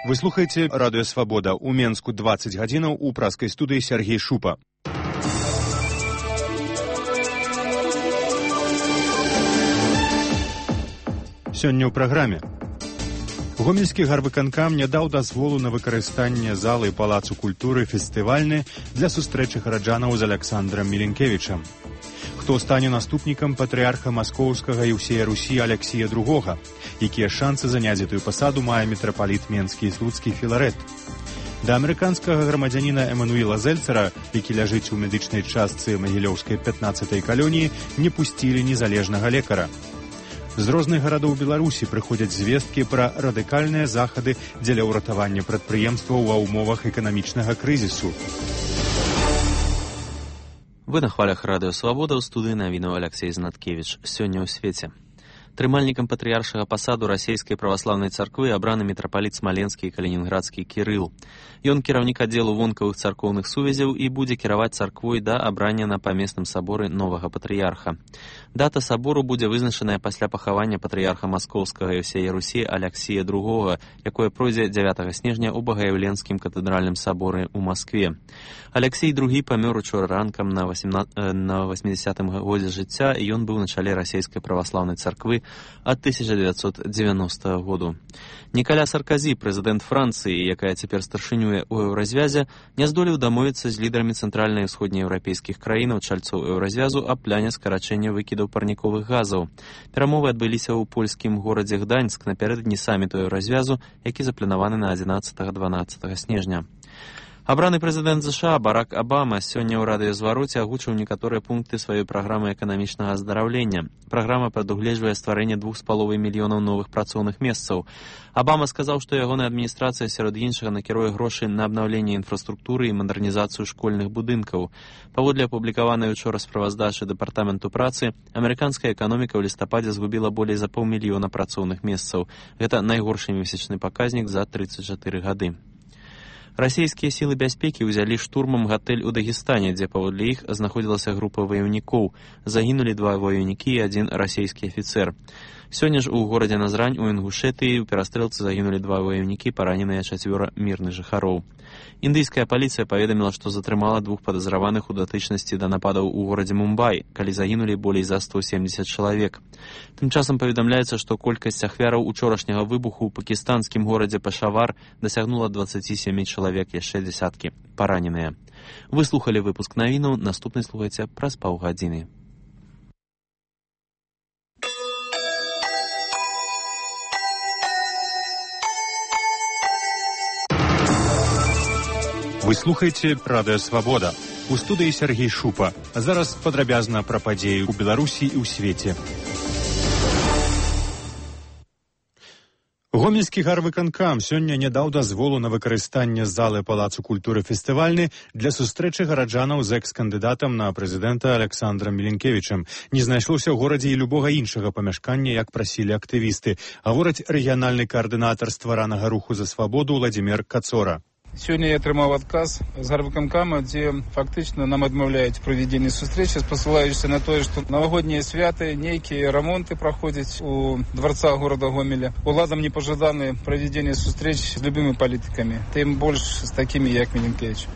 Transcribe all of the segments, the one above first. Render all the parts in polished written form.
Вы слухаеце радыё Свабода. У Менску 20 гадзінаў, у праскай студыі Сергей Шупа. Сёння ў праграме. Гомельскі гарвыканкам не даў дазволу на выкарыстанне залы Палацу культуры фестывальны для сустрэчы гараджанаў з Александрам Міленкевічам. Хто стане наступнікам патрыарха Маскоўскага і ўсея Русі Алексія II? Якія шансы заняць гэтую пасаду мае мітрапаліт Менскі і Слуцкі Філарэт? Да амерыканскага грамадзяніна Эмануіла Зельцера, які ляжыць у медычнай частцы Магілёўскай 15-й калоніі, не пусцілі незалежнага лекара. З розных гарадоў Беларусі прыходзяць звесткі пра радыкальныя захады дзеля ўратавання прадпрыемстваў ва ўмовах эканамічнага крызісу. Вы на хвалях радыё Свабода, ў студыі навінаў Алексей Знаткевіч. Сёння ў свеце. Трымальнікам патрыяршага пасаду расійскай праваслаўнай царквы абраны мітрапаліт смаленскі і калінінградскі Кірыл. Ён кіраўнік аддзелу вонкавых царкоўных сувязяў і будзе кіраваць царквой да абрання на памесным саборы новага патрыярха. Дата сабору будзе вызначаная пасля пахавання патрыярха Маскоўскага і ўсея Русі Алексія II, якое пройдзе 9 снежня ў Багаяўленскім катэдральным саборы ў Маскве. Алексій II памёр учора ранкам на 80-м годзе жыцця, і ён быў на чале расійскай праваслаўнай царквы ад 1990 году. Нікаля Сарказі, прэзідэнт Францыі, якая цяпер старшынюе ў еўразвязе, не здолеў дамовіцца з лідарамі цэнтральнай і ўсходнееўрапейскіх краінаў, чальцоў еўразвязу, аб пляне скарачэння выкідаў парніковых газаў. Перамовы адбыліся ў польскім горадзе Гданьск напярэдадні саміту еўразвязу, які запланаваны на 11-12 снежня. Абраны прэзідэнт США Барак Абама сёння ў радыёзвароце агучыў некаторыя пункты сваёй праграмы эканамічнага аздараўлення. Праграма прадугледжвае стварэнне 2,5 мільёнаў новых працоўных месцаў. Абама сказаў, што ягоная адміністрацыя сярод іншага накіруе грошы на абнаўленне інфраструктуры і мадэрнізацыю школьных будынкаў. Паводле апублікаванай учора справаздачы дэпартаменту працы, амерыканская эканоміка ў лістападзе згубіла болей за 500 000 працоўных месцаў. Гэта найгоршы месячны паказнік за 34 гады. Расійскія сілы бяспекі ўзялі штурмам гатэль у Дагестане, дзе паводле іх знаходзілася група ваяўнікоў. Загінулі 2 ваяўнікі і 1 расійскі афіцэр. Сёння ж у горадзе Назрань у Інгушэтыі ў перастрэлцы загінулі 2 ваяўнікі, параненыя 4 мірных жыхароў. Індыйская паліцыя паведаміла, што затрымала 2 падазраваных у датычнасці да нападаў у горадзе Мумбай, калі загінулі болей за 170 чалавек. Тым часам паведамляецца, што колькасць ахвяраў учорашняга выбуху ў пакістанскім горадзе Пешавар дасягнула 27 чалавек, яшчэ дзясяткі параненыя. Вы слухалі выпуск навінаў, наступны слухайце праз паўгадзіны. Вы слухаеце радыё Свабода. У студыі Сергей Шупа. А зараз падрабязна пра падзеі ў Беларусі і ў свеце. Гомельскі гарвыканкам сёння не даў дазволу на выкарыстанне залы Палацу культуры фестывальны для сустрэчы гараджанаў з экс-кандыдатам на прэзідэнта Александрам Міленкевічам. Не знайшлося ў горадзе і любога іншага памяшкання, як прасілі актывісты. Гаворыць рэгіянальны каардынатар стваранага руху за свабоду Владзімір Кацора. Сёння я атрымаў адказ з гарвыканкама, дзе фактычна нам адмаўляюць правядзенне сустрэчы, спасылаючыся на тое, што навагоднія святы, нейкія рамонты праходзяць у дварца горада Гомеля. Уладам не пажаданы правядзенне сустрэч з любымі палітыкамі, тым больш з такімі, як Міленкевіч.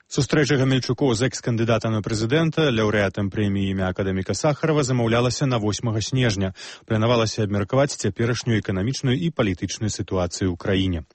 Сустрэча гамельчукоў з экс-кандыдатам на прэзідэнта, лаўрэатам прэміі імя акадэміка Сахарова, замаўлялася на 8 снежня. Планавалася абмеркаваць цяперашнюю эканамічную і палітычную сітуацыю ў краіне.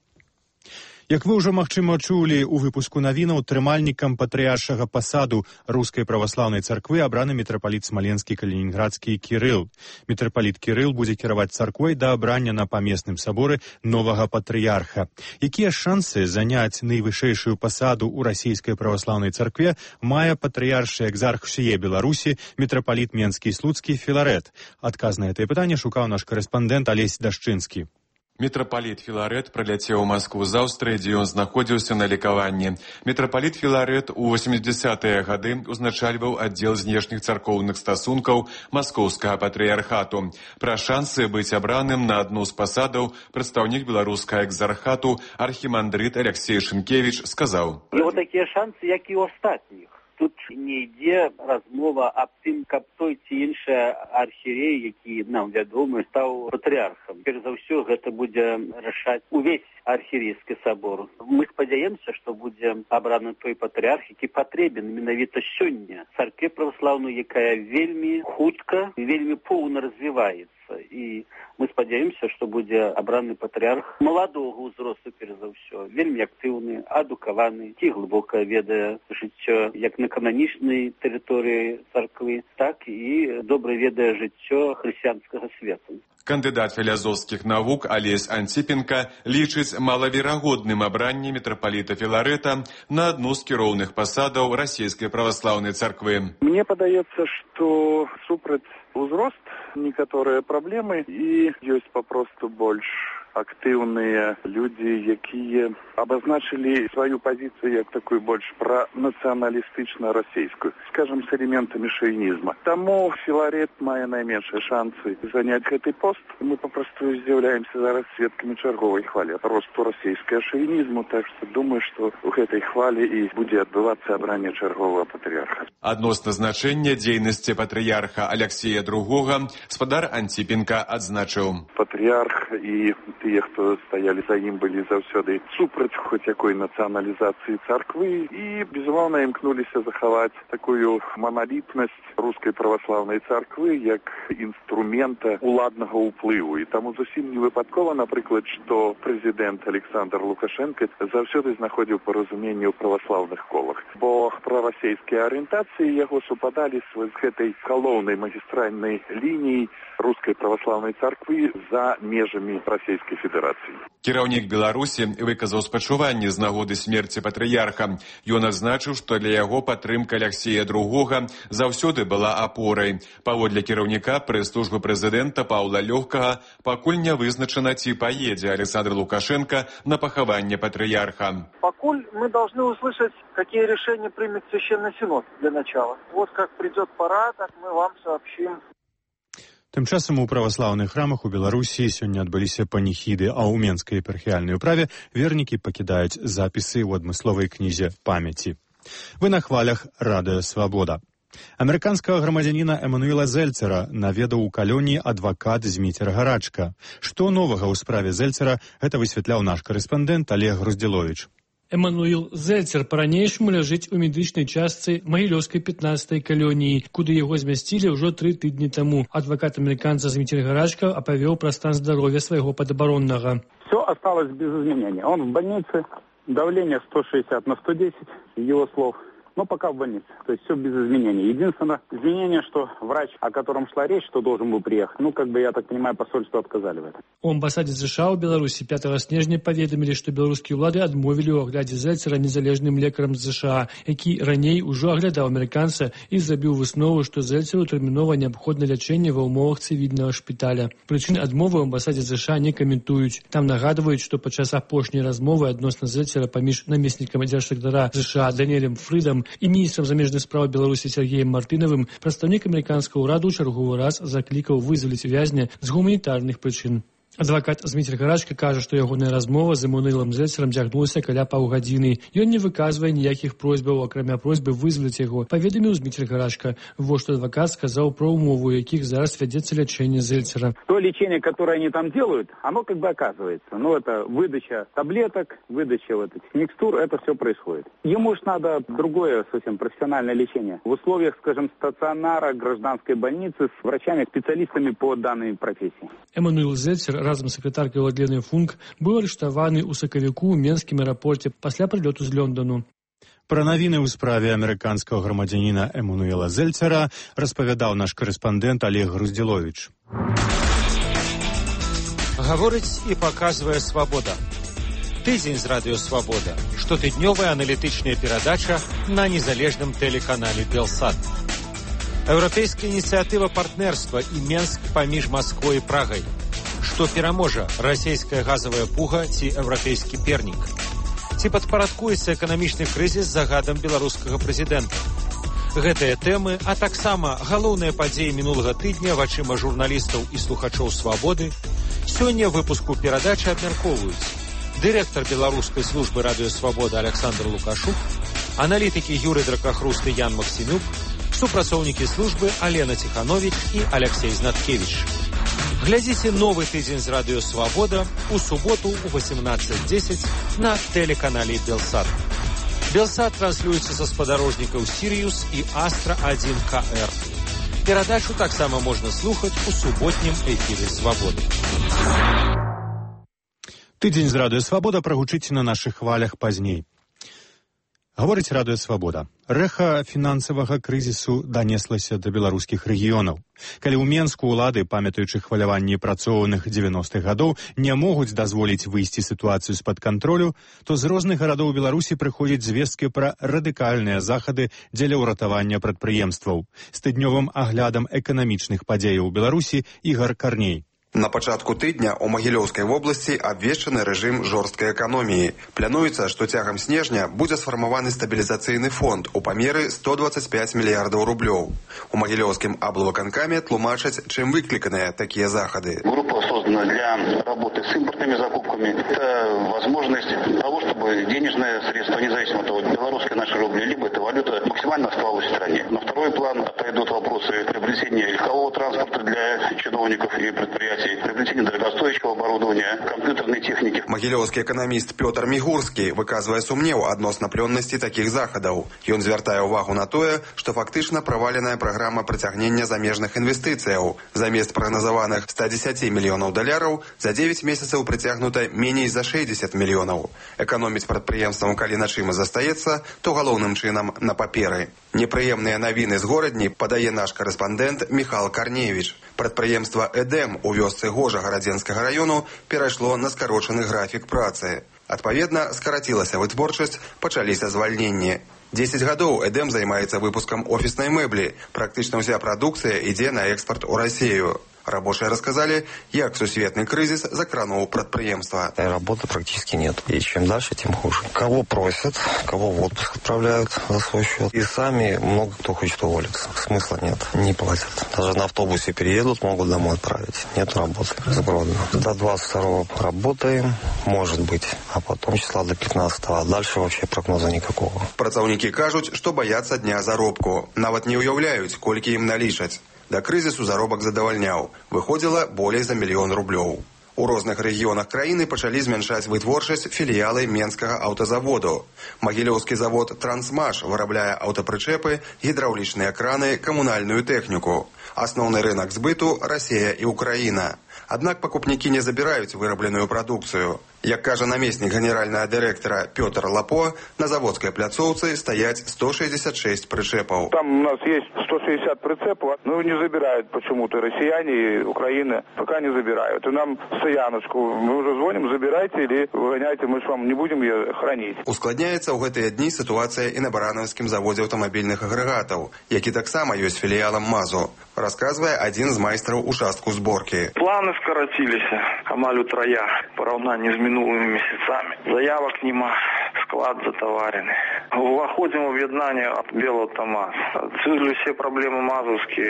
Як вы ўжо, магчыма, чулі ў выпуску навінаў, трымальнікам патрыяршага пасаду рускай праваслаўнай царквы абраны мітрапаліт смаленскі калінінградскі Кірыл. Мітрапаліт Кірыл будзе кіраваць царквой да абрання на памесным саборы новага патрыярха. Якія шансы заняць найвышэйшую пасаду ў расійскай праваслаўнай царкве мае патрыяршы экзарх усяе Беларусі мітрапаліт Менскі і Слуцкі Філарэт? Адказ на гэтае пытанне шукаў наш карэспандэнт Алесь Дашчынскі. Мітрапаліт Філарэт прыляцеў у Маскву з Аўстрыі, дзе ён знаходзіўся на лекаванні. Мітрапаліт Філарэт у 80-е гады узначальваў аддзел знешніх царкоўных стасункаў Маскоўскага патрыярхату. Пра шансы быць абраным на адну з пасадаў прадстаўнік беларускага экзархату архімандрыт Алексей Шынкевіч сказаў. І вот такія шансы, як і ў астатніх. тут не ідзе размова аб тым, каб той ці іншы архіерей, які нам вядомы, стаў патрыархам. Перш за ўсё гэта будзе рашаць увесь архіерейскі сабор. Мы спадзяемся, што будзе абраны той патрыарх, які патрэбен менавіта сёння царкве праваслаўнай, якая вельмі хутка, вельмі поўна развіваецца. І мы спадзяемся, што будзе абраны патрыарх маладога ўзросту, перш за ўсё, вельмі актыўны, адукаваны, ці глыбока ведае жыццё як на кананічнай тэрыторыі царквы, так і добра ведае жыццё хрысціянскага свету. Кандыдат філазофскіх навук Алесь Антипенко лічыць малаверагодным абранне мітрапаліта Філарэта на адну з кіроўных пасадаў расійскай праваслаўнай царквы. Мне падаецца, што супраць узрост некаторыя праблемы і ёсць папросту больш актыўныя людзі, якія абазначылі сваю пазіцыю як такую больш пранацыяналістычна-расейскую, скажам, з элементамі шавінізма. Таму Філарэт мае найменшыя шансы заняць гэты пост. Мы папросту з'яўляемся зараз сведкамі чарговай хвалі росту расійскага шавінізму, так што думаю, што ў гэтай хвалі і будзе адбывацца абранне чарговага патрыярха. Адносна значэння дзейнасці патрыярха Аляксея II спадар Антипенко адзначыў. Патрыярх і тыя, хто стаялі за ім, былі заўсёды супраць хоць якой нацыяналізацыі царквы і, безумоўна, імкнуліся захаваць такую маналітнасць рускай праваслаўнай царквы як інструмента уладнага ўплыву. І таму зусім не выпадкова, напрыклад, што прэзідэнт Александр Лукашенко заўсёды знаходзіў паразуменне ў праваслаўных колах, бо прарасейскія арыентацыі яго супадалі з гэтай галоўнай магістральнай лініяй рускай праваслаўнай царквы за межамі Расійскай Федэрацыі. Кіраўнік Беларусі выказаў спачуванне з нагоды смерці патрыярха. Ён адзначыў, што для яго падтрымка Аляксея II заўсёды была апорай. Паводле кіраўніка прэс-службы прэзідэнта Паўла Лёгкага пакуль не вызначана, ці поедзе Александр Лукашенко на пахаванне патрыярха. Покуль мы должны услышать, какие решения примет Священный Синод для начала. Вот как придет пора, так мы вам сообщим. Тым часам у праваслаўных храмах у Беларусі сёння адбыліся паніхіды, а ў Менскай епархіяльнай управе вернікі пакідаюць запісы ў адмысловай кнізе памяці. Вы на хвалях Радыё Свабода. Амерыканскага грамадзяніна Эмануэла Зельцера наведаў у калоніі адвакат Зміцер Гарачка. Што новага ў справе Зельцера, гэта высвятляў наш карэспандэнт Олег Груздзіловіч. Эмануэл Зельцер па-ранейшаму ляжыць у медычнай частцы Магілёўскай 15-й калоніі, куды яго змясцілі ўжо 3 тыдні таму. Адвакат амерыканца Зміцер Гарачка апавёў пра стан здароўя свайго падабароннага. Все осталось без изменения. Он в больнице, давление 160/110, его слов. Но пока в больнице. То есть все без изменений. Единственное изменение, что врач, о котором шла речь, что должен был приехать, я так понимаю, посольство отказали в этом. У амбасаде США ў Беларусі 5 снежня паведамілі, што беларускія ўлады адмовілі ў аглядзе Зельцера незалежным лекарам з США, які раней ужо аглядаў амерыканца і зрабіў выснову, што Зельцеру тэрмінова неабходна лячэнне ва ўмовах цывільнага шпіталя. Прычыны адмовы ў амбасаде США не каментуюць. Там нагадваюць, што падчас апошняй размовы адносна Зельцера паміж намеснікам дзяржсакратара США Даніэлем Фрідам і міністрам замежных спраў Беларусі Сергеем Мартынавым прадстаўнік амерыканскага ўраду ў чарговы раз заклікаў вызваліць вязня з гуманітарных прычын. Адвакат Зміцер Гарачка кажа, што ягоная размова з Эмануэлам Зельцерам цягнулася каля паўгадзіны. Ён не выказвае ніякіх просьбаў, акрамя просьбы вызваліць яго, паведаміў Зміцер Гарачка. Вот што адвакат сказаў пра умову, у якіх зараз вядзецца лячэнне Зельцера. То лечение, которое они там делают, оно оказывается. Это выдача таблеток, выдача этих микстур, это все происходит. Ему ж надо другое совсем профессиональное лечение. В условиях, скажем, стационара, гражданской больницы с врачами-специалистами по данной профессии. Эмануэл Зельцер разам з сакратаркай Владленай Функ быў арыштаваны ў сакавіку ў Менскім аэрапорце пасля прылёту з Лондону. Пра навіны ў справе амерыканскага грамадзяніна Эмануэла Зельцера распавядаў наш карэспандэнт Олег Груздзіловіч. Гаворыць і паказвае Свабода. Тыдзень з Радыё Свабода. Штотыднёвая аналітычная перадача на незалежным тэлеканале Белсат. Еўрапейская ініцыятыва партнерства і Менск паміж Масквой і Прагай. Што пераможа, расійская газавая пуга ці еўрапейскі пернік? Ці падпарадкуецца эканамічны крызіс загадам беларускага прэзідэнта? Гэтыя тэмы, а таксама галоўныя падзеі мінулага тыдня вачыма журналістаў і слухачоў Свабоды сёння ў выпуску перадачы абмяркоўваюць дырэктар беларускай службы Радыё Свабода Александр Лукашук, Аналітыкі Юрый Дракахруст і Ян Максімюк, супрацоўнікі службы Алена Ціханович і Алексей Знаткевич. Глядзіце новы тыдзень з радыё «Свабода» у суботу ў 18:10 на тэлеканале «Белсат». «Белсат» транслюецца са спадарожнікаў «Сіриус» і «Астра-1 КР». Перадачу таксама можна слухаць у суботнім эфіры «Свабоды». Тыдзень з радыё «Свабода» прагучыць на нашых хвалях пазней. Гаворыць радыё «Свабода». Рэха фінансавага крызісу данеслася да беларускіх рэгіёнаў. Калі ў Менску ўлады, памятаючы хваляванні працоўных 90-х гадоў, не могуць дазволіць выйсці сітуацыю з-пад кантролю, то з розных гарадоў Беларусі прыходзяць звесткі пра радыкальныя захады дзеля ўратавання прадпрыемстваў. З тыднёвым аглядам эканамічных падзеяў у Беларусі Ігар Карней. На пачатку тыдня ў Магілёўскай вобласці абвешчаны рэжым жорсткай эканоміі. Плануецца, што цягам снежня будзе сфармаваны стабілізацыйны фонд у памеры 125 мільярдаў рублёў. У Магілёўскім аблвыканкаме тлумачаць, чым выкліканыя такія захады. Группа создана для работы с импортными закупками. Это возможность того, чтобы денежные средства, независимо от того, белорусская наша рубли, либо это валюта, максимально оставалась в стране. На второй план отойдут вопросы приобретения легкового транспорта для чиновников и предприятий, приобретение дорогостоящего оборудования, компьютерной техники. Магілёўскі эканаміст Пётр Мігурскі выказвае сумнеў адносна плённасці такіх захадаў. Ён звяртае ўвагу на тое, што фактычна праваленая праграма прыцягнення замежных інвестыцыяў. Замест прагназаваных 110 мільёнаў даляраў за 9 месяцаў прыцягнута меней за 60 мільёнаў. Эканоміць прадпрыемствам, калі на чым і застаецца, то галоўным чынам на паперы. Непрыемныя навіны з горадні падае наш карэспандэнт Міхал Карневіч. Прадпрыемства «Эдэм» у вёсцы Гожа Гарадзенскага раёну перайшло на скарочаны графік працы. Адпаведна, скарацілася вытворчасць, пачаліся звальненні. 10 гадоў «Эдэм» займаецца выпускам офіснай мэблі. Практычна ўся прадукцыя ідзе на экспарт у Расію. Рабочие рассказали, как сусветный кризис закранул предприемство. Работы практически нет. И чем дальше, тем хуже. Кого просят, кого в отпуск отправляют за свой счет. И сами много кто хочет уволиться. Смысла нет. Не платят. Даже на автобусе переедут, могут домой отправить. Нет работы. Сбродно. До 22-го работаем, может быть. А потом числа до 15-го. А дальше вообще прогноза никакого. Працаўнікі кажуць, што баяцца дня заробку. Нават не ўяўляюць, колькі ім налічаць. Да крызісу заробак задавальняў. Выходзіла болей за 1 мільён рублёў. У розных рэгіёнах краіны пачалі змяншаць вытворчасць філіялы Менскага аўтазаводу. Магілёўскі завод «Трансмаш» вырабляе аўтапрычэпы, гідраўлічныя краны, камунальную тэхніку. Асноўны рынак збыту – Расія і Украіна. Аднак пакупнікі не забіраюць вырабленую прадукцыю. Як кажа намеснік генеральнага дырэктара Пётр Лапо, на заводской пляцоўцы стаять 166 причепов. Там у нас есть 160 прицепов, но не забирают почему-то россияне и Украина пока не забирают. И нам стояночку, мы уже звоним, забирайте или выгоняйте, мы ж вам не будем ее хранить. Ускладняецца ў гэтыя дні ситуация и на Барановскім заводе автомобильных агрегатов, які таксама ёсць филиалом МАЗу, рассказывая один из майстраў участку сборки. Планы скоротились, амаль утрая, поравнании с минулыми месяцами. Заявок нема, склад затоварены. Выходим в об'єднання от Белого та МАЗ. Це ж всі проблеми мазовські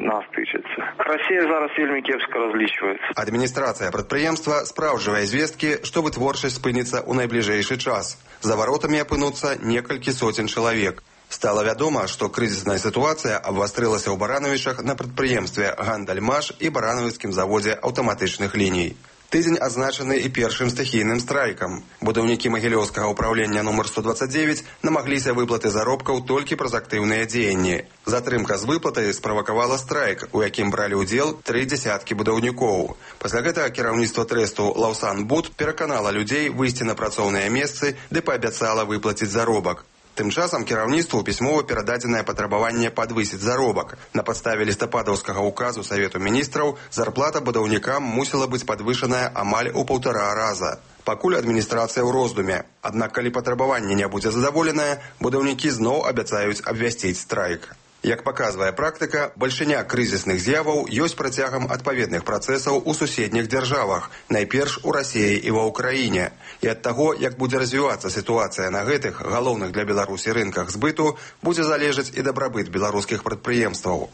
нас тичаться. Росія зараз вельми кепсько розлічується. Адміністрація підприємства справджує звістки, що витворчість спиниться у найближчий час. За воротами опинуться некалькі сотень чоловік. Стало вядома, што крызісная сітуацыя абвастрылася ў Барановичах на прадпрыемстве «Гандальмаш» і Барановіцкім заводзе аўтаматычных ліній. Тыдзень адзначаны і першым стыхійным страйкам. Будаўнікі Магілёўскага ўправлення нумар 129 намагліся выплаты заробкаў толькі праз актыўныя дзеянні. Затрымка з выплатай справакавала страйк, у якім бралі ўдзел 3 дзясяткі будаўнікоў. Пасля гэтага кіраўніцтва трэсту «Лаўсан Буд» пераканала людзей выйсці на працоўныя месцы ды паабяцала выплаціць заробак. Тым часам кіраўніцтву пісьмова перададзенае патрабаванне падвысіць заробак. На падставе лістападаўскага указу Савету міністраў зарплата будаўнікам мусіла быць падвышаная амаль у 1,5 раза. Пакуль адміністрацыя ў роздуме. Аднак, калі патрабаванне не будзе задаволенае, будаўнікі зноў абяцаюць абвясціць страйк. Як паказвае практыка, бальшыня крызісных з'яваў ёсць працягам адпаведных працэсаў у суседніх дзяржавах, найперш у Расіі і ва Ўкраіне. І ад таго, як будзе развівацца сітуацыя на гэтых галоўных для Беларусі рынках збыту, будзе залежаць і дабрабыт беларускіх прадпрыемстваў.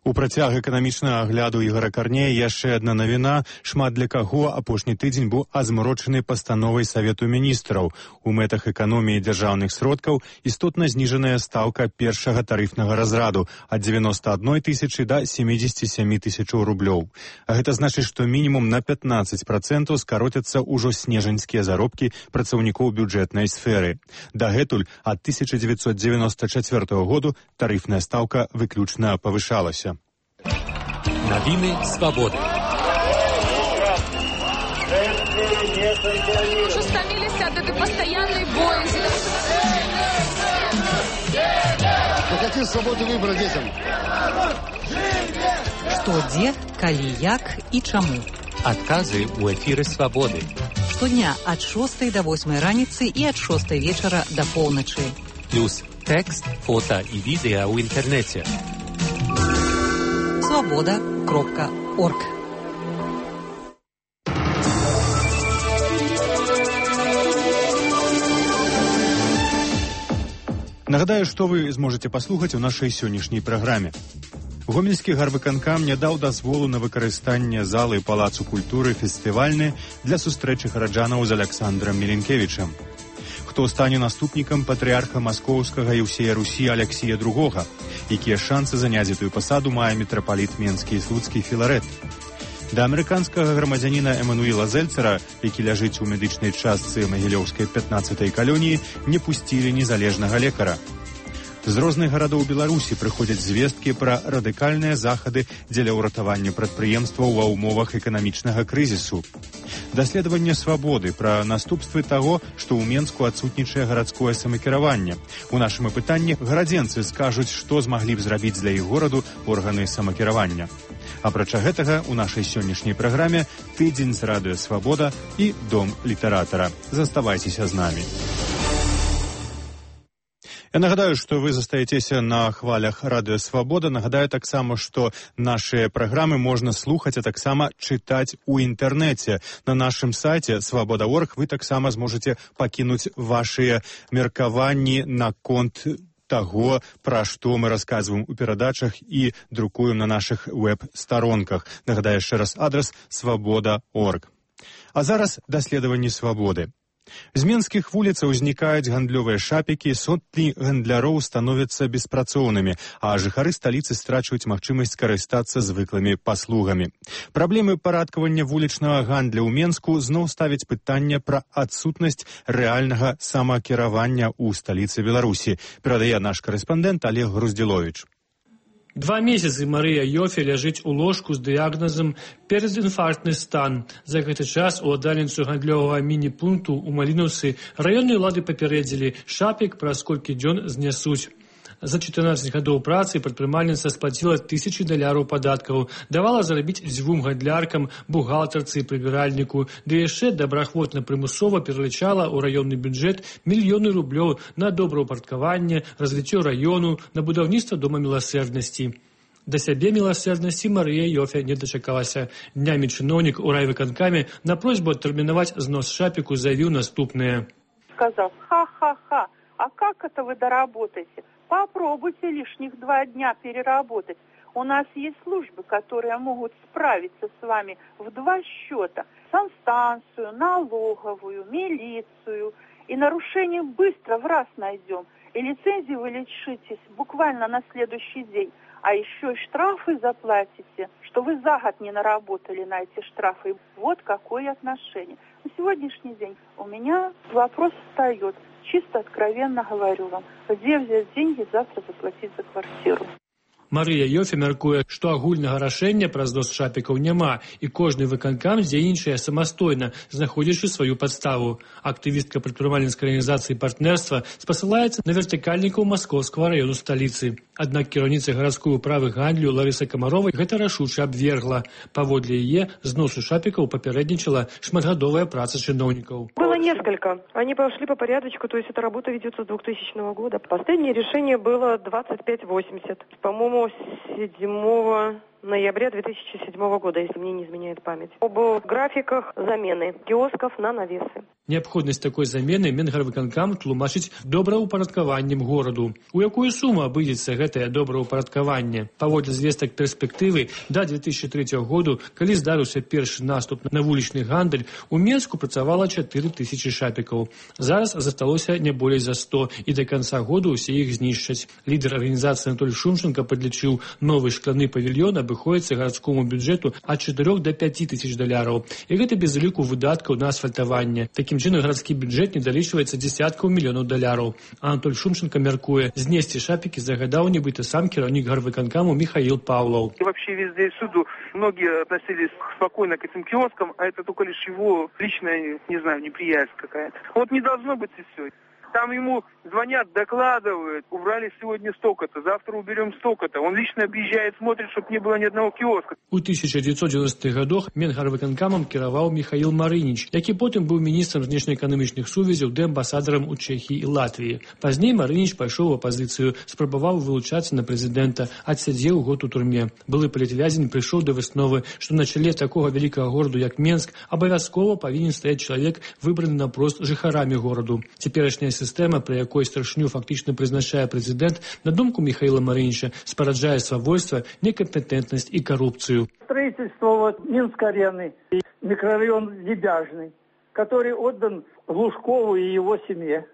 У працяг эканамічнага агляду Ігора Карнея яшчэ адна навіна. Шмат для каго апошні тыдзень быў азмрочаны пастановай Савету міністраў. У мэтах эканоміі дзяржаўных сродкаў істотна зніжаная стаўка першага тарыфнага разраду ад 91 тысячы да 77 тысячаў рублёў. А гэта значыць, што мінімум на 15% скароцяцца ўжо снежаньскія заробкі працаўнікоў бюджэтнай сферы. Дагэтуль ад 1994 году тарыфная стаўка выключна павышалася. Новины свободы. Уже стомились от этой постоянной боязни. Мы хотим свободы выбора детям. Што, дзе, калі, як і чаму. Адказы ў эфіры свабоды. Штодня ад 6 до 8 раніцы і ад 6 вечара до поўначы. Плюс тэкст, фота і відэа ў інтэрнэце. Свобода.орг. Нагадаю, што вы зможаце паслухаць у нашай сённяшняй праграме. Гомельскі гарвыканкам не даў дазволу на выкарыстанне залы Палацу культуры фестывальны для сустрэчы гараджанаў з Аляксандрам Міленкевічам. Хто стане наступнікам патрыарха маскоўскага і ўсея Русі Аляксія II, якія шансы заняць гэтую пасаду мае мітрапаліт Менскі і Слуцкі Філарэт. Да амерыканскага грамадзяніна Эмануіла Зельцера, які ляжыць у медычнай частцы Магілёўскай 15-й калоніі, не пусцілі незалежнага лекара. З розных гарадоў Беларусі прыходзяць звесткі пра радыкальныя захады дзеля ўратавання прадпрыемстваў ва ўмовах эканамічнага крызісу. Даследаванне свабоды пра наступствы таго, што ў Менску адсутнічае гарадское самакіраванне. У нашым апытанні гарадзенцы скажуць, што змаглі б зрабіць для іх гораду органы самакіравання. Апрача гэтага, у нашай сённяшняй праграме тыдзень з радыё «Свабода» і дом літаратара. Заставайцеся з намі. Я нагадаю, што вы застаецеся на хвалях радыё «Свабода». Нагадаю таксама, што нашыя праграмы можна слухаць, а таксама чытаць у інтэрнэце. На нашым сайце «Свабода.орг» вы таксама зможаце пакінуць вашыя меркаванні наконт таго, пра што мы расказваем у перадачах і друкуем на нашых веб-старонках. Нагадаю яшчэ раз адрас «Свабода.орг». А зараз даследаванне свабоды. З менскіх вуліцаў узнікаюць гандлёвыя шапікі, сотні гандляроў становяцца беспрацоўнымі, а жыхары сталіцы страчваюць магчымасць карыстацца звыклымі паслугамі. Праблемы парадкавання вулічнага гандля ў Менску зноў ставяць пытанне пра адсутнасць рэальнага самакіравання ў сталіцы Беларусі, перадае наш карэспандэнт Олег Груздзіловіч. 2 месяцы Марыя Йофе ляжыць у ложку з дыягназам перадінфарктны стан. За гэты час уладальніцу гандлёвага міні-пункту ў Малінаўцы раённыя ўлады папярэдзілі, шапік праз колькі дзён знясуць. За 14 гадоў працы прадпрымальніца сплаціла $1000 падаткаў, давала зарабіць 2 гандляркам, бухгалтарцы і прыбіральніку, ды яшчэ добраахвотна прымусова пералічала ў раённы бюджэт мільёны рублёў на добраўпарадкаванне, развіццё раёну, на будаўніцтва дома міласэрнасці. Да сябе міласэрнасці Марыя Йофе не дачакалася. Днямі чыноўнік у райвыканкаме на просьбу адтэрмінаваць знос шапіку заявіў наступнае. Сказал: ха-ха-ха, а как это вы доработаете? Попробуйте лишних 2 дня переработать. У нас есть службы, которые могут справиться с вами в 2 счета. Санстанцию, налоговую, милицию. И нарушение быстро в раз найдем. И лицензии вы лишитесь буквально на следующий день. А еще и штрафы заплатите, что вы за год не наработали на эти штрафы. Вот какое отношение. На сегодняшний день у меня вопрос встает. Чисто откровенно говорю вам, где взять деньги завтра заплатить за квартиру. Марыя Йофе мяркуе, што агульнага рашэння пра знос шапікаў няма, і кожны выканкам дзейнічае самастойна, знаходзячы сваю падставу. Актывістка прадпрымальніцкай арганізацыі партнерства спасылаецца на вертыкальнікаў маскоўскага раёну сталіцы. Аднак кіраўніца гарадской управы гандлю Ларыса Камаровай гэта рашуча абвергла. Паводле яе, зносу шапікаў папярэднічала шматгадовая праца чыноўнікаў. Было несколько. Они пошли по порядочку, то есть эта работа ведется с 2000 года. Последнее решение было 2580. По-моему, 7 ноября 2007 года, если мне не изменяет память. Об графиках замены киосков на навесы. Неабходнасць такой замены Менгарвыканкам тлумачыць добраўпарадкаваннем гораду. У якую суму абыдзецца гэтае добраўпарадкаванне? Паводле звестак перспектывы, да 2003 году, калі здарыўся першы наступ на вулічны гандаль, у Менску працавала 4000 шапікаў. Зараз засталося не болей за 100, і да канца году ўсе іх знішчаць. Лідар арганізацыі Анатоль Шумченко падлічыў, новы шкляны павільён абыходзіцца гарадскому бюджэту ад 4 до 5 тысяч доляраў. І гэта без уліку выдаткаў на асфальтаванне. Такім чынам гарадскі бюджэт не далічваецца дзесяткаў мільёнаў доляраў. Анатоль Шумченко мяркуе, знесці шапікі загадаў нібыта сам кіраўнік гарвыканкаму Михаил Павлов. И вообще везде и всюду многие относились спокойно к этим киоскам, а это только лишь его личная, не знаю, неприязнь какая-то. Вот не должно быть и все. Там ему звонят, докладывают, убрали сегодня столько-то, завтра уберем столько-то. Он лично объезжает, смотрит, чтобы не было ни одного киоска. У 1990-х годах Менгарвыканкамам кіраваў Михаил Марыніч, які потым быў міністрам знешнеэканамічных сувязяў ды амбасадарам у Чэхіі і Латвіі. Пазней Марыніч пайшоў у апазіцыю, спрабаваў вылучацца на прэзідэнта, адсядзеў год у турме. Былы палітвязень прыйшоў да высновы, што на чале такога вялікага гораду, як Менск, абавязкова павінен стаяць чалавек, выбраны наўпрост жыхарамі гораду. Цяперашняя сістэма, пры якой старшыню фактычна прызначае прэзідэнт, на думку Михаила Марыніча, спараджае свавольства, некомпетентнасць і карупцыю. Строительство Минск-арены и микрорайон Лебяжный, который отдан Лужкову и его семье,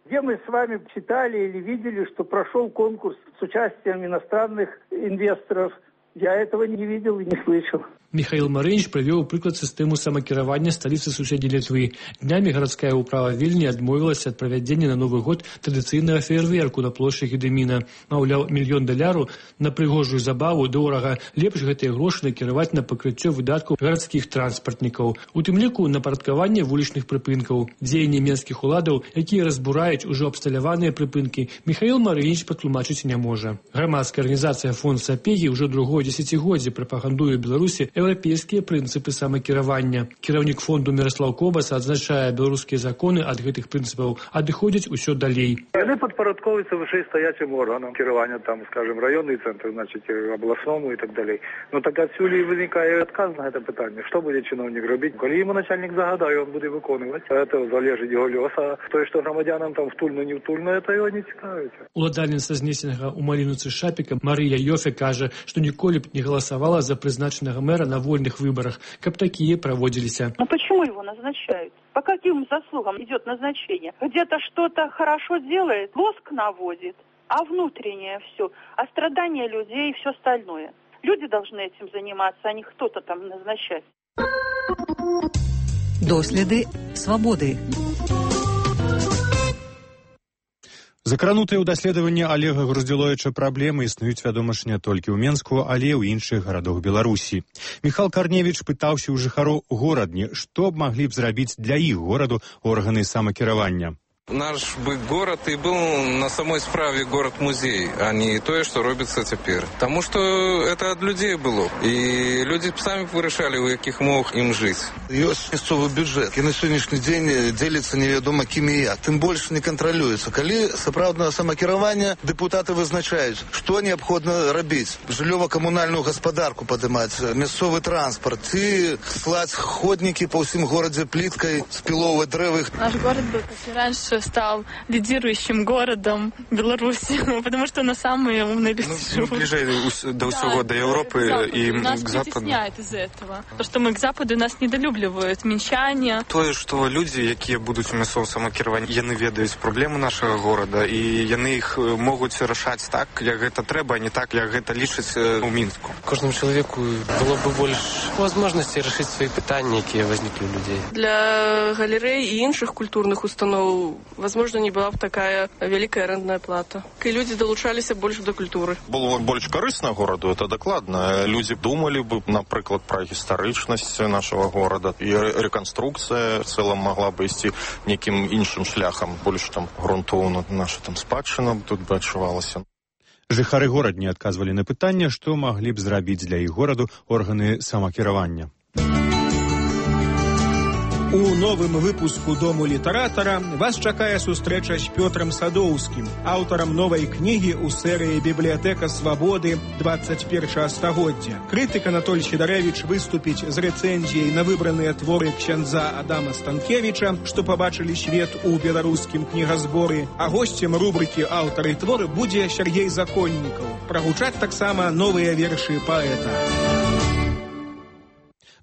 где мы с вами читали или видели, что прошел конкурс с участием иностранных инвесторов. Я этого не видел и не слышал. Михаил Марыніч прывёў прыклад сістэму самакіравання сталіцы суседняй Літвы. Днямі гарадская ўправа Вільні адмовілася ад правядзення на Новы год традыцыйнага феерверку на плошчы Гедэміна. Маўляў, $1 мільён на прыгожую забаву дорага. Лепш гэтыя грошы накіраваць на пакрыццё выдаткаў гарадскіх транспартнікаў. У тым ліку на парадкаванне вулічных прыпынкаў. Дзеянні менскіх уладаў, якія разбураюць ужо абсталяваныя прыпынкі, Михаил Марыніч патлумачыць не можа. Грамадская арганізацыя Фонд Сапегі ўжо другое дзесяцігоддзе прапагандуе Беларусі еўрапейскія прынцыпы самакіравання. Кіраўнік фонду Міраслаў Кобаса адзначае, беларускія законы ад гэтых прынцыпаў адыходзяць усё далей. Яны падпарадковваюцца вышэйстаячым органам кіравання, там, скажем, районный центр, значит, областному и так далее. Но так отсюда и возникает отказ на это питание. Что будет чиновник робить? Коли ему начальник загадає, он буде виконувати. Это залежить його лёс. А то, что громадянам там втульно, не втульно, это его не цікавить. Уладальніца знесенага ў Маліноўцы шапіка Марыя Йофе кажа, што ніколі б не галасавала за прызначанага мэра на вольных выборах, как такие проводились. Но почему его назначают? По каким заслугам идет назначение? Где-то что-то хорошо делает, лоск наводит, а внутреннее все, а страдания людей и все остальное. Люди должны этим заниматься, а не кто-то там назначать. Доследы свободы. Закранутыя ў даследаванне Олега Груздзіловіча праблемы існуюць, вядома ж, не толькі ў Менску, але і ў іншых гарадах Беларусі. Міхал Карневіч пытаўся ў жыхароў горадні, што б маглі б зрабіць для іх гораду органы самакіравання. Наш бы город и был на самой справе город-музей, а не то, что робится теперь. Потому что это от людей было. И люди сами вырашали, у яких умовах им жить. Ёсць мясцовы бюджэт, і на сённяшні дзень дзеліцца невядома кім і як. Тым больш не кантралюецца. Калі сапраўднага самакіравання дэпутаты вызначаюць, што неабходна рабіць. Жыллёва-камунальную гаспадарку падымаць, мясцовы транспарт, ці слаць ходнікі па ўсім горадзе пліткай, спіловваць дрэвы. Наш город был, как и раньше, стал лидирующим городом Беларуси, потому что на самые умные люди живут. Ближе до всего, до Европы и нас к Западу. притесняет из этого. То, что мы к Западу, нас недолюбливают, мінчане. То, что люди, які будуть у мясцовым самакіраванні, яны ведаюць праблемы нашага горада, і яны іх могуць рашаць так, як гэта трэба, а не так, як гэта лічаць у Мінску. Кожному человеку было бы больше возможностей решить свои питания, которые возникли у людей. Для галерей и іншых культурных установ, возможно, не была бы такая великая арендная плата. И люди долучалися больше до культуры. Было больше корыстно городу, это докладно. Люди думали бы, например, про историчность нашего города. И реконструкция в целом могла бы идти неким іншим шляхом. Больше там грунтовно наша там спадщина тут бы адчувалася. Жыхары горадні адказвалі на пытанне, што маглі б зрабіць для іх гораду органы самакіравання. У новым выпуску «Дому літаратара» вас чакае сустрэча з Пётрам Садоўскім, аўтарам новай кнігі ў серыі «Бібліятэка свабоды. 21 стагоддзя». Крытык Анатоль Сідарэвіч выступіць з рэцэнзіяй на выбраныя творы ксяндза Адама Станкевіча, што пабачылі свет у беларускім кнігазборы, а госцем рубрыкі «Аўтары творы» будзе Сергей Законнікаў. Прагучаць таксама новыя вершы паэта.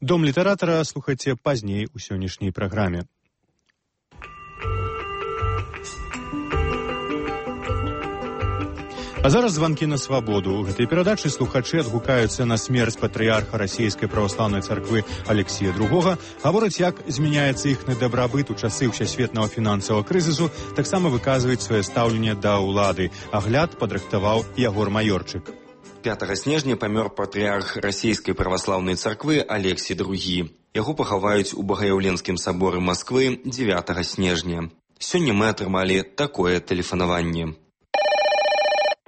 Дом літаратара слухайце пазней у сённяшняй праграме. А зараз званкі на свабоду. У гэтай перадачы слухачы адгукаюцца на смерць патрыярха расійскай праваслаўнай царквы Алексія II, гавораць, як змяняецца іхны дабрабыт у часы ўсясветнага фінансавага крызісу, таксама выказваюць сваё стаўленне да ўлады. Агляд падрыхтаваў Ягор Маёрчык. 5 снежня памёр патрыярх расійскай праваслаўнай царквы Алексій II. Яго пахаваюць у Багаяўленскім саборы Масквы 9 снежня. Сёння мы атрымалі такое тэлефанаванне.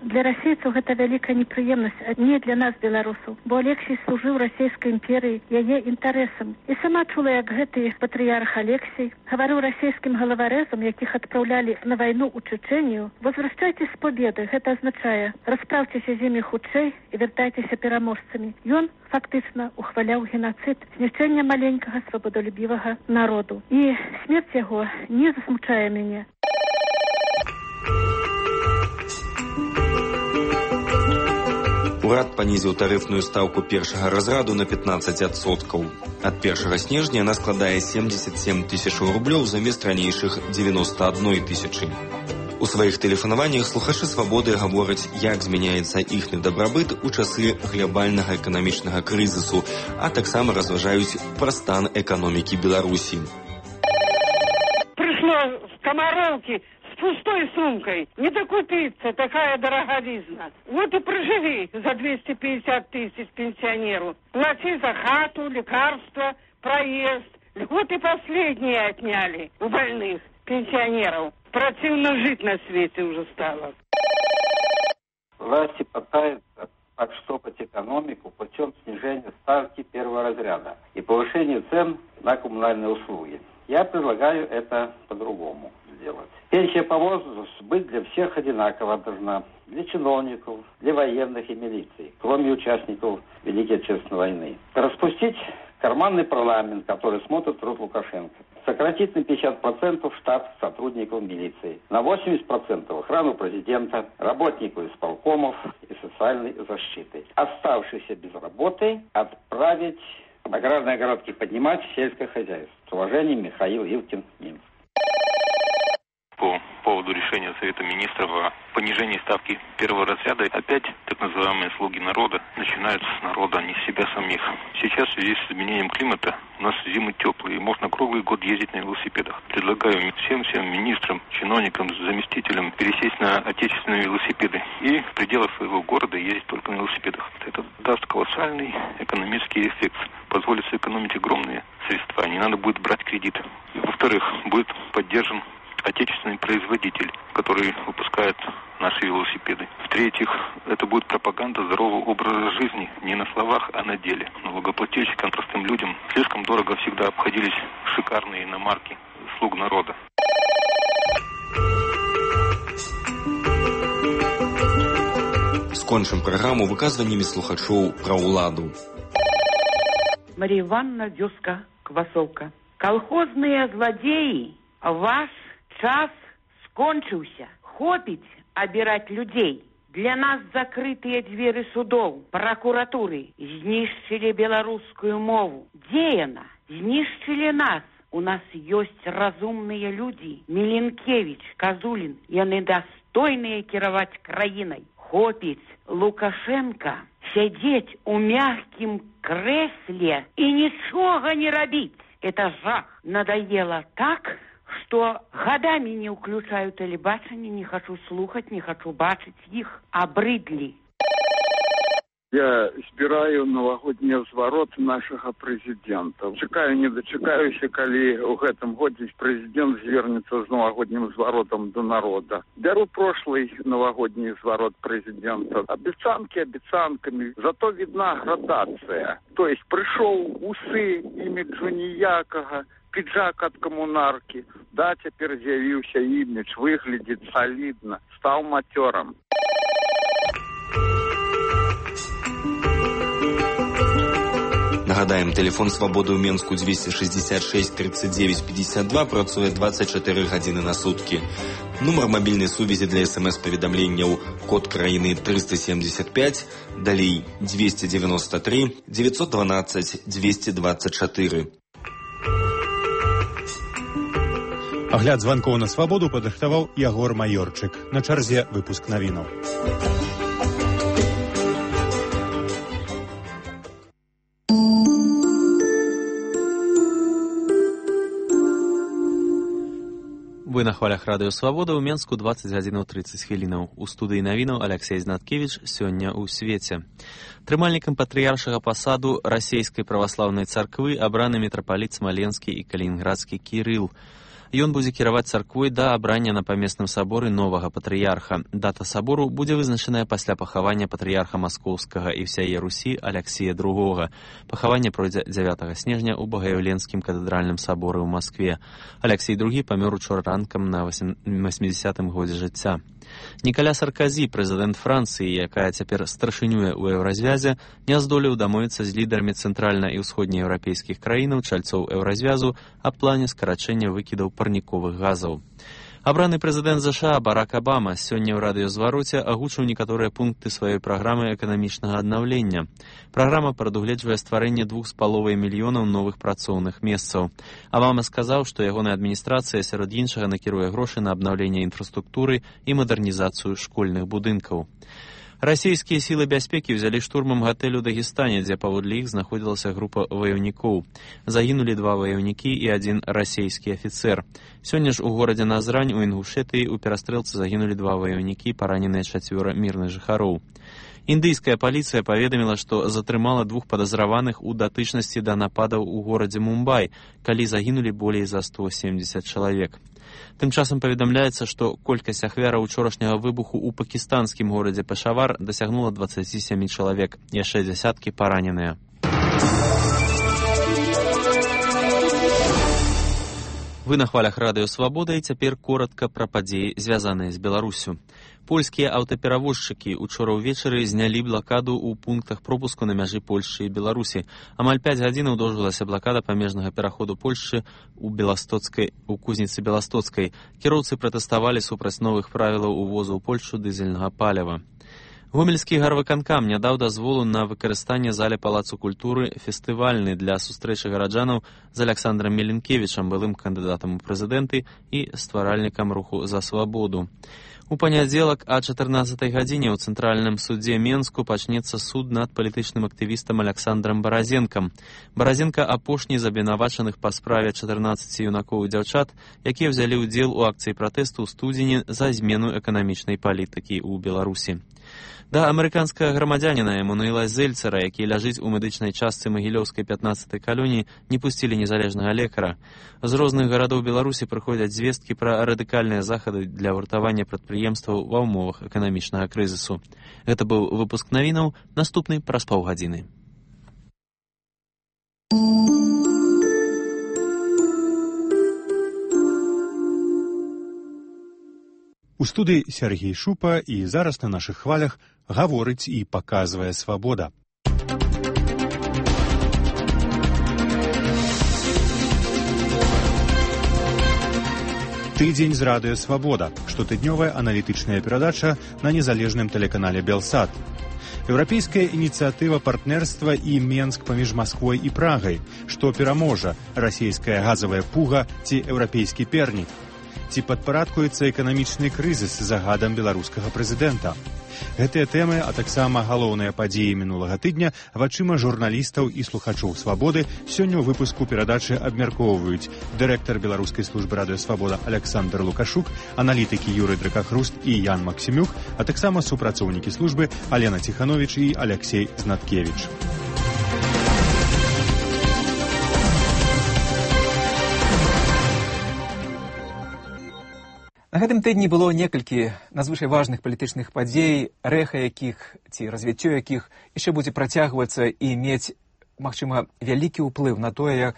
Для расейцаў гэта вялікая непрыемнасць, а не для нас, беларусаў, бо Алексій служыў расійскай імперыі, яе інтарэсам. І сама чула, як гэты патрыярх Алексій гаварыў расійскім галаварэзам, якіх адпраўлялі на вайну ў Чэчэнію: «Возвращайтесь з победы», гэта азначае: распраўцеся з імі хутчэй і вяртайцеся пераможцамі. Ён фактычна ухваляў генацыд, знішчэнне маленькага свабодалюбівага народу. І смерць яго не засмучае мяне. Урад панізіў тарыфную стаўку першага разраду на 15%. Ад 1 снежня яна складае 77 000 рублёў замест ранейшых 91 000. У сваіх тэлефанаваннях слухачы свабоды гавораць, як змяняецца іхны дабрабыт у часы глабальнага эканамічнага крызісу, а таксама разважаюць пра стан эканомікі Беларусі. Прышло з Камароўкі с пустой сумкой. Не докупиться, такая дороговизна. Вот и проживи за 250 000 пенсионеру. Плати за хату, лекарства, проезд. Вот и последние отняли у больных пенсионеров. Противно жить на свете уже стало. Власти пытаются подштопать экономику путем снижения ставки первого разряда и повышения цен на коммунальные услуги. Я предлагаю это по-другому сделать. Пенсия по возрасту быть для всех одинаково должна. Для чиновников, для военных и милиции, кроме участников Великой Отечественной войны. Распустить карманный парламент, который смотрит труд Лукашенко. Сократить на 50% штат сотрудников милиции. На 80% охрану президента, работников исполкомов и социальной защиты. Оставшиеся без работы отправить аграрные огородки поднимать в сельское хозяйство. С уважением, Михаил Ивкин, Минск. По поводу решения Совета Министров о понижении ставки первого разряда, опять так называемые слуги народа начинаются с народа, а не с себя самих. Сейчас в связи с изменением климата у нас зимы теплые, и можно круглый год ездить на велосипедах. Предлагаю всем министрам, чиновникам, заместителям пересесть на отечественные велосипеды и в пределах своего города ездить только на велосипедах. Это даст колоссальный экономический эффект, позволит сэкономить огромные средства, не надо будет брать кредит. Во-вторых, будет поддержан отечественный производитель, который выпускает наши велосипеды. В-третьих, это будет пропаганда здорового образа жизни не на словах, а на деле. Налогоплательщикам, простым людям слишком дорого всегда обходились шикарные иномарки слуг народа. Скончым праграму выказваннямі слухачоў пра ўладу. Мария Ивановна, вёска Квасовка. Колхозные злодеи, ваш час скончыўся. Хопіць абіраць людзей. Для нас закрытыя дзверы судоў, прокуратуры. Знішчылі беларускую мову. Дзе яна? Знішчылі нас. У нас ёсць разумныя людзі. Міленкевич, Казулін. Яны дастойныя кіраваць краінай. Хопіць Лукашенко сядзець у мягкім крэсле і нічога не рабіць. Это жах. Надоело так, что годами не включаю телебачение, не хочу слухать, не хочу бачить их, обрыдли. Я збіраю навагодні зварот нашага прэзідэнта. Чакаю, не дачакаюся, калі ў гэтым годзе прэзідэнт звернецца з навагоднім зваротам до народа. Бяру прошлый навагодні зварот прэзідэнта. Абяцанкі абяцанкамі, зато видна градацыя. То есть прыйшоў усы іміджу ніякага, пиджак от коммунарки. Да, теперь з'явился имидж, выглядит солидно, стал матером. Нагадаем, телефон «Свабоды» ў Менску 266 39 52 працуе 24 гадзіны на суткі. Нумар мабільнай сувязі для СМС-паведамленняў код краіны 375, далей 293 912 224. Агляд званкоў на «Свабоду» падрыхтаваў Ягор Майорчык. На чарзе выпуск навінаў. Вы на хвалях радыё «Свабода» ў Менску 20 гадзінаў 30 хвілінаў. У студыі навінаў Алексей Знаткевич сёння ў свеце. Трымальнікам патрыяршага пасаду расійскай праваслаўнай царквы абраны мітрапаліт Смаленскі і Калінінградскі Кірыл. Ён будзе кіраваць царквой да абрання на памесным саборы новага патрыярха. Дата сабору будзе вызначаная пасля пахавання патрыярха Маскоўскага і ўсяе Русі Аляксія II. Пахаванне пройдзе 9 снежня ў Багаяўленскім катэдральным саборы ў Маскве. Аляксій II памёр учора ранкам на 80-м годзе жыцця. Нікаля Сарказі, прэзідэнт Францыі, якая цяпер старшынюе ў еўразвязе, не здолеў дамовіцца з лідарамі цэнтральна- і ўсходнееўрапейскіх краінаў, чальцоў еўразвязу, аб плане скарачэння выкідаў парніковых газаў. Абраны прэзідэнт ЗША Барак Абама сёння ў радыёзвароце агучыў некаторыя пункты сваёй праграмы эканамічнага аднаўлення. Праграма прадугледжвае стварэнне 2,5 мільёнаў новых працоўных месцаў. Абама сказаў, што ягоная адміністрацыя сярод іншага накіруе грошы на абнаўленне інфраструктуры і мадэрнізацыю школьных будынкаў. Расійскія сілы бяспекі ўзялі штурмам гатэль у Дагестане, дзе паводле іх знаходзілася група ваяўнікоў. Загінулі 2 ваяўнікі і 1 расійскі афіцэр. Сёння ж у горадзе Назрань у Інгушэтыі ў перастрэлцы загінулі 2 ваяўнікі, параненыя 4 мірных жыхароў. Індыйская паліцыя паведаміла, што затрымала 2 падазраваных у датычнасці да нападаў у горадзе Мумбай, калі загінулі болей за 170 чалавек. Тым часам паведамляецца, што колькасць ахвяраў учорашняга выбуху ў пакістанскім горадзе Пешавар дасягнула 27 чалавек, яшчэ дзясяткі параненыя. Вы на хвалях радыё «Свабода» і цяпер коратка пра падзеі, звязаныя з Беларусю. Польскія аўтаперавозчыкі учора ўвечары знялі блакаду ў пунктах пропуску на мяжы Польшчы і Беларусі. Амаль 5 гадзінаў доўжылася блакада памежнага пераходу Польшчы у кузніцы Беластоцкай. Кіроўцы пратэставалі супраць новых правілаў увозу ў Польшчу дызельнага паліва. Гомельскі гарвыканкам не даў дазволу на выкарыстанне зале Палацу культуры фестывальны для сустрэчы гараджанаў з Аляксандрам Меленкевічам, былым кандыдатам у прэзідэнты і стваральнікам руху за свабоду. У панядзелак о 14 гадзіне ў Цэнтральным судзе Менску пачнецца суд над палітычным актывістам Аляксандрам Баразенкам. Баразенка апошні з абвінавачаных па справе 14 юнакоў і дзяўчат, якія ўзялі ўдзел у акцыі пратэсту ў студзені за змену эканамічнай палітыкі ў Беларусі. Да амерыканскага грамадзяніна Эмануэла Зельцера, які ляжыць у медычнай частцы Магілёўскай 15-й калоніі, не пусцілі незалежнага лекара. З розных гарадоў Беларусі прыходзяць звесткі пра радыкальныя захады для вартавання прадпрыемстваў ва ўмовах эканамічнага крызісу. Гэта быў выпуск навінаў, наступны праз паўгадзіны. У студыі Сергей Шупа і зараз на нашых хвалях гаворыць і паказвае «Свабода». Тыдзень з радыё «Свабода» – штотыднёвая аналітычная перадача на незалежным тэлеканале «Белсат». Еўрапейская ініцыятыва партнерства і Менск паміж Масквой і Прагай. Што пераможа – расійская газавая пуга ці еўрапейскі пернік? Ці падпарадкуецца эканамічны крызіс загадам беларускага прэзідэнта? Гэтыя тэмы, а таксама галоўныя падзеі мінулага тыдня вачыма журналістаў і слухачоў «Свабоды» сёння ў выпуску перадачы абмяркоўваюць дырэктар беларускай службы радыё «Свабода» Аляксандр Лукашук, аналітыкі Юрый Дракахруст і Ян Максімюк, а таксама супрацоўнікі службы Алена Ціхановіч і Аляксей Знаткевіч. На гэтым тыдні было некалькі надзвычай важных палітычных падзей, рэха якіх ці развіццё якіх яшчэ будзе працягвацца і мець, магчыма, вялікі ўплыў на тое,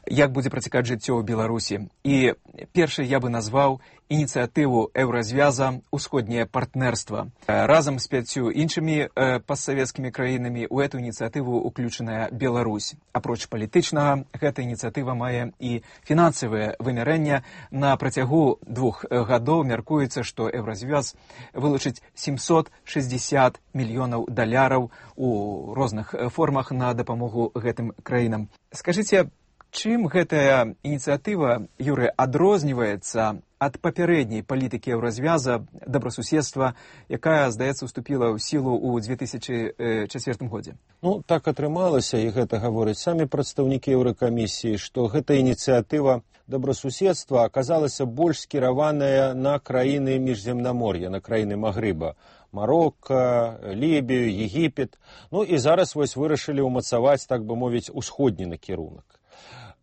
як будзе працякаць жыццё ў Беларусі. І першай я бы назваў ініцыятыву Еўразвяза «Усходняе партнерства». Разам з 5 іншымі постсавецкімі краінамі ў эту ініцыятыву уключаная Беларусь. Апроч палітычнага, гэта ініцыятыва мае і фінансавае вымярэнне. На працягу 2 гадоў мяркуецца, што Еўразвяз вылучыць 760 мільёнаў даляраў у розных формах на дапамогу гэтым краінам. Скажыце, чым гэтая ініцыятыва, Юрый, адрозніваецца ад папярэдняй палітыкі Еўразвяза добрасуседства, якая, здаецца, уступіла ў сілу ў 2004 годзе? Ну, так атрымалася, і гэта гавораць самі прадстаўнікі Еўракамісіі, што гэта ініцыятыва добрасуседства аказалася больш скіраваная на краіны міжземнамор'я, на краіны Магрыба. Марокко, Лібію, Егіпет. Ну і зараз вось вырашылі ўмацаваць, так бы мовіць, усходні накірунак.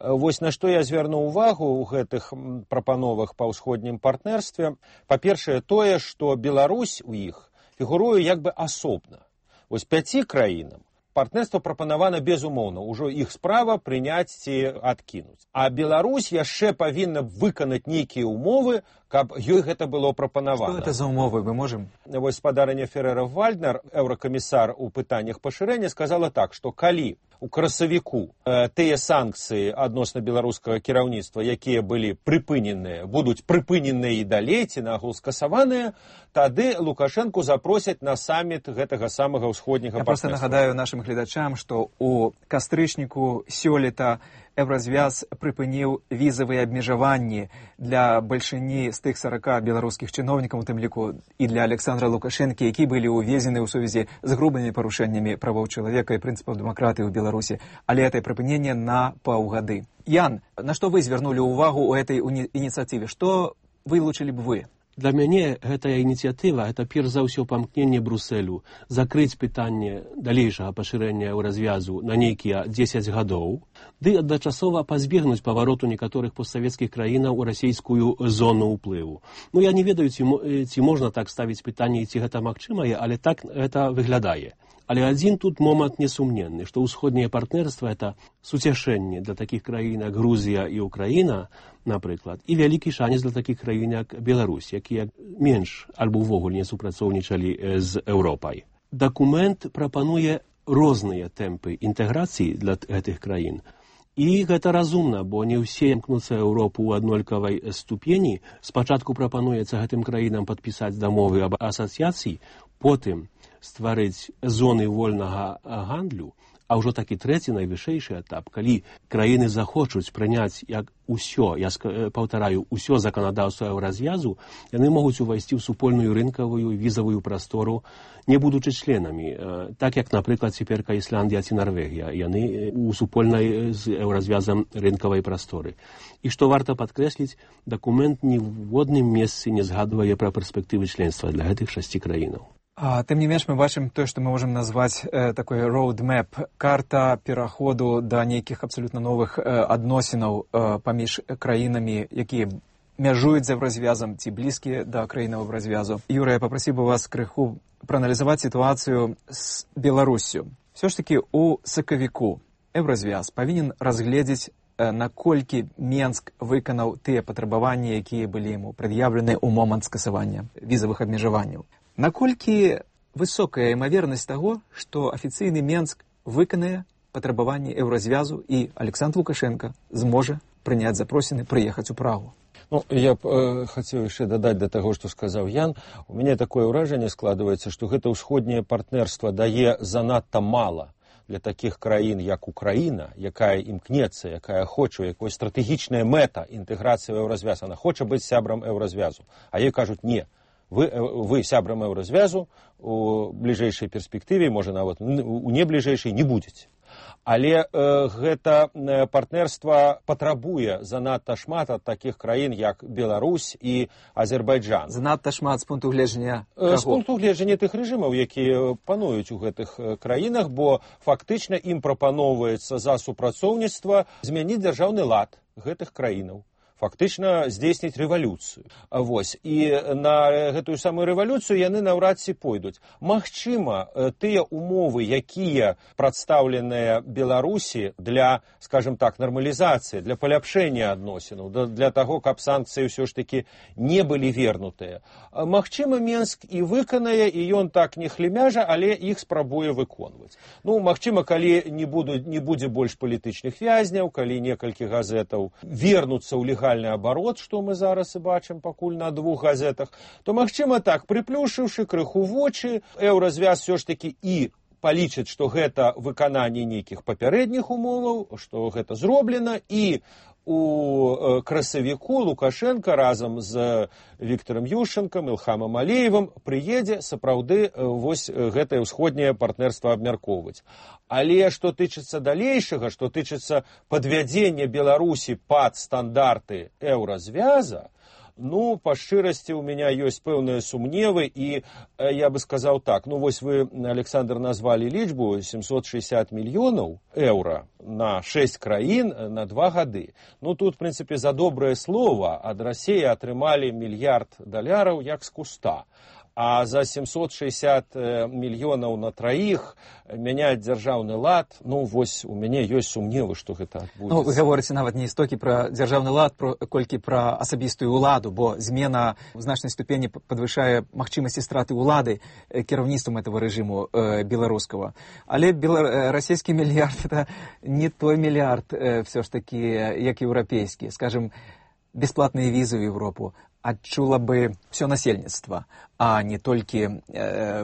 Вось на што я звярнуў увагу ў гэтых прапановах па ўсходнім партнерстве. Па-першае, тое, што Беларусь у іх фігуруе як бы асобна. Вось 5 краінам партнерство прапанавана безумоўна, ужо іх справа прыняць ці адкінуць. А Беларусь яшчэ павінна выканаць нейкія ўмовы, каб ёй гэта было прапанавана. Што гэта за ўмовы, мы можам? Вось спадарыня Феррера-Вальднер, еўракамісар у пытаннях пашырэння, сказала так, што калі у красавіку тыя санкцыі адносна беларускага кіраўніцтва, якія былі прыпыненыя, будуць прыпыненыя і далей, ці нагул скасаваныя, тады Лукашэнку запросяць на саміт гэтага самага ўсходняга партнерства. Я проста нагадаю нашым гледачам, што у кастрычніку сёлета Еўразвяз прыпыніў візавыя абмежаванні для бальшыні з тых 40 беларускіх чыноўнікаў, у тым ліку і для Александра Лукашэнкі, які былі ўвезены ў сувязі з грубымі парушэннямі правоў чалавека і прынцыпаў дэмакратыі ў Беларусі. Але гэта прыпыненне на паўгады. Ян, на што вы звярнулі ўвагу ў этой ініцыятыве? Што вылучылі б вы? Для мяне гэтая ініцыятыва, гэта перш за ўсё памкненне Брусэлю закрыць пытанне далейшага пашырэння Еўразвязу на нейкія 10 гадоў, ды адначасова пазбегнуць павароту некаторых постсавецкіх краінаў у расійскую зону ўплыву. Ну, я не ведаю, ці можна так ставіць пытанне, ці гэта магчымае, але так гэта выглядае. Але адзін тут момант несумненны, што ўсходняе партнерства – это суцяшэнне для такіх краін, як Грузія і Украіна, напрыклад, і вялікі шанец для такіх краін, як Беларусь, якія менш альбо ўвогуле не супрацоўнічалі з Еўропай. Дакумент прапануе розныя тэмпы інтэграцыі для гэтых краін. І гэта разумна, бо не ўсе імкнуцца Еўропу ў аднолькавай ступені. Спачатку прапануецца гэтым краінам падпісаць дамовы аб асацыяцыі, потым стварыць зоны вольнага гандлю, а ўжо такі трэці найвышэйшы этап, калі краіны захочуць прыняць як усё, я паўтараю, усё заканадаўства Еўразвязу, яны могуць увайсці ў супольную рынкавую візавую прастору, не будучы членамі, так як, напрыклад, цяперка Ісландія ці Нарвегія, яны у супольнай з Еўразвязам рынкавай прасторы. І што варта падкрэсліць, дакумент ні в одным месцы не згадвае пра перспектывы членства для гэтых 6 краінаў. Тым не менш, мы бачым тое, што мы можам назваць такой roadmap, карта пераходу да нейкіх абсалютна новых адносінаў паміж краінамі, якія мяжуюць з Еўразвязам ці блізкія да краінаў Еўразвязу. Юрый, я папрасіў бы вас крыху прааналізаваць сітуацыю з Беларуссю. Все ж такі у сакавіку Еўразвяз павінен разгледзець, наколькі Менск выканаў тыя патрабаванні, якія былі яму прад'яўлены ў момант скасавання візавых абмежаванняў. Наколькі высокая імавернасць таго, што афіцыйны Менск выканае патрабаванні Еўразвязу і Александр Лукашенко зможа прыняць запросіны прыехаць у Прагу? Ну, я б хацеў яшчэ дадаць да таго, што сказаў Ян. У мяне такое ўражанне складваецца, што гэта ўсходняе партнерства дае занадта мала для такіх краін, як Украіна, якая імкнецца, якая хоча, якая стратэгічная мэта інтэграцыі ў Еўразвяз. Она хоча быць сябрам Еўразвязу. А ёй кажуць, не. Вы сябрам Еўразвязу у бліжэйшай перспектыве, можа нават у небліжэйшай не будзеце. Але гэта партнерства патрабуе занадта шмат ад такіх краін, як Беларусь і Азербайджан. Занадта шмат з пункту гледжання каго? З пункту гледжання тых рэжымаў, якія пануюць у гэтых краінах, бо фактычна ім прапаноўваецца за супрацоўніцтва змяніць дзяржаўны лад гэтых краінаў. фактычна здзейсніць рэвалюцыю. Вось. І на гэтую самую рэвалюцыю яны наўрад ці пойдуць. Магчыма, тыя умовы, якія прадстаўленыя Беларусі для, скажем так, нармалізацыі, для паляпшэння адносінаў, для таго, каб санкцыі ўсё ж такі не былі вернутыя. Магчыма, Менск і выканае, і ён так не хлемяжа, але іх спрабуе выконваць. Ну, магчыма, калі не будзе больш палітычных вязняў, калі некалькі газетаў вернуцца ў легальны абарот, што мы зараз і бачым пакуль на 2 газетах, то, магчыма, так, прыплюшыўшы крыху вочы, Еўразвяз все ж такі і палічыць, што гэта выкананне нейкіх папярэдніх умоваў, што гэта зроблена, і у красавіку Лукашенко разам з Віктором Ющенком, Ілхамам Алеевым прыедзе сапраўды вось гэтае ўсходняе партнерства абмяркоўваць. Але што тычыцца далейшага, што тычыцца падвядзення Беларусі пад стандарты Еўразвяза, ну, па шчырасці, у меня ёсць пэўныя сумневы, і я бы сказаў так, ну, вось вы, Александр, назвалі лічбу 760 мільёнаў еўра на 6 краін на 2 гады. Ну, тут, в прынцыпе, за добрае слова ад Расіі атрымалі $1 мільярд як з куста. А за 760 мільёнаў на 3 мяняць дзяржаўны лад, ну, вось у мяне ёсць сумневы, што гэта адбудзецца. Ну, вы гаворыце нават не столькі пра дзяржаўны лад, колькі пра асабістую ўладу, бо змена в значнай ступені падвышае магчымасці страты ўлады кіраўніцтвам этого рэжыму беларускага. Але расійскі мільярд — это не той мільярд все ж таки, як еўрапейскі. Скажем, бесплатныя візы ў Европу адчула бы все насельніцтва, а не толькі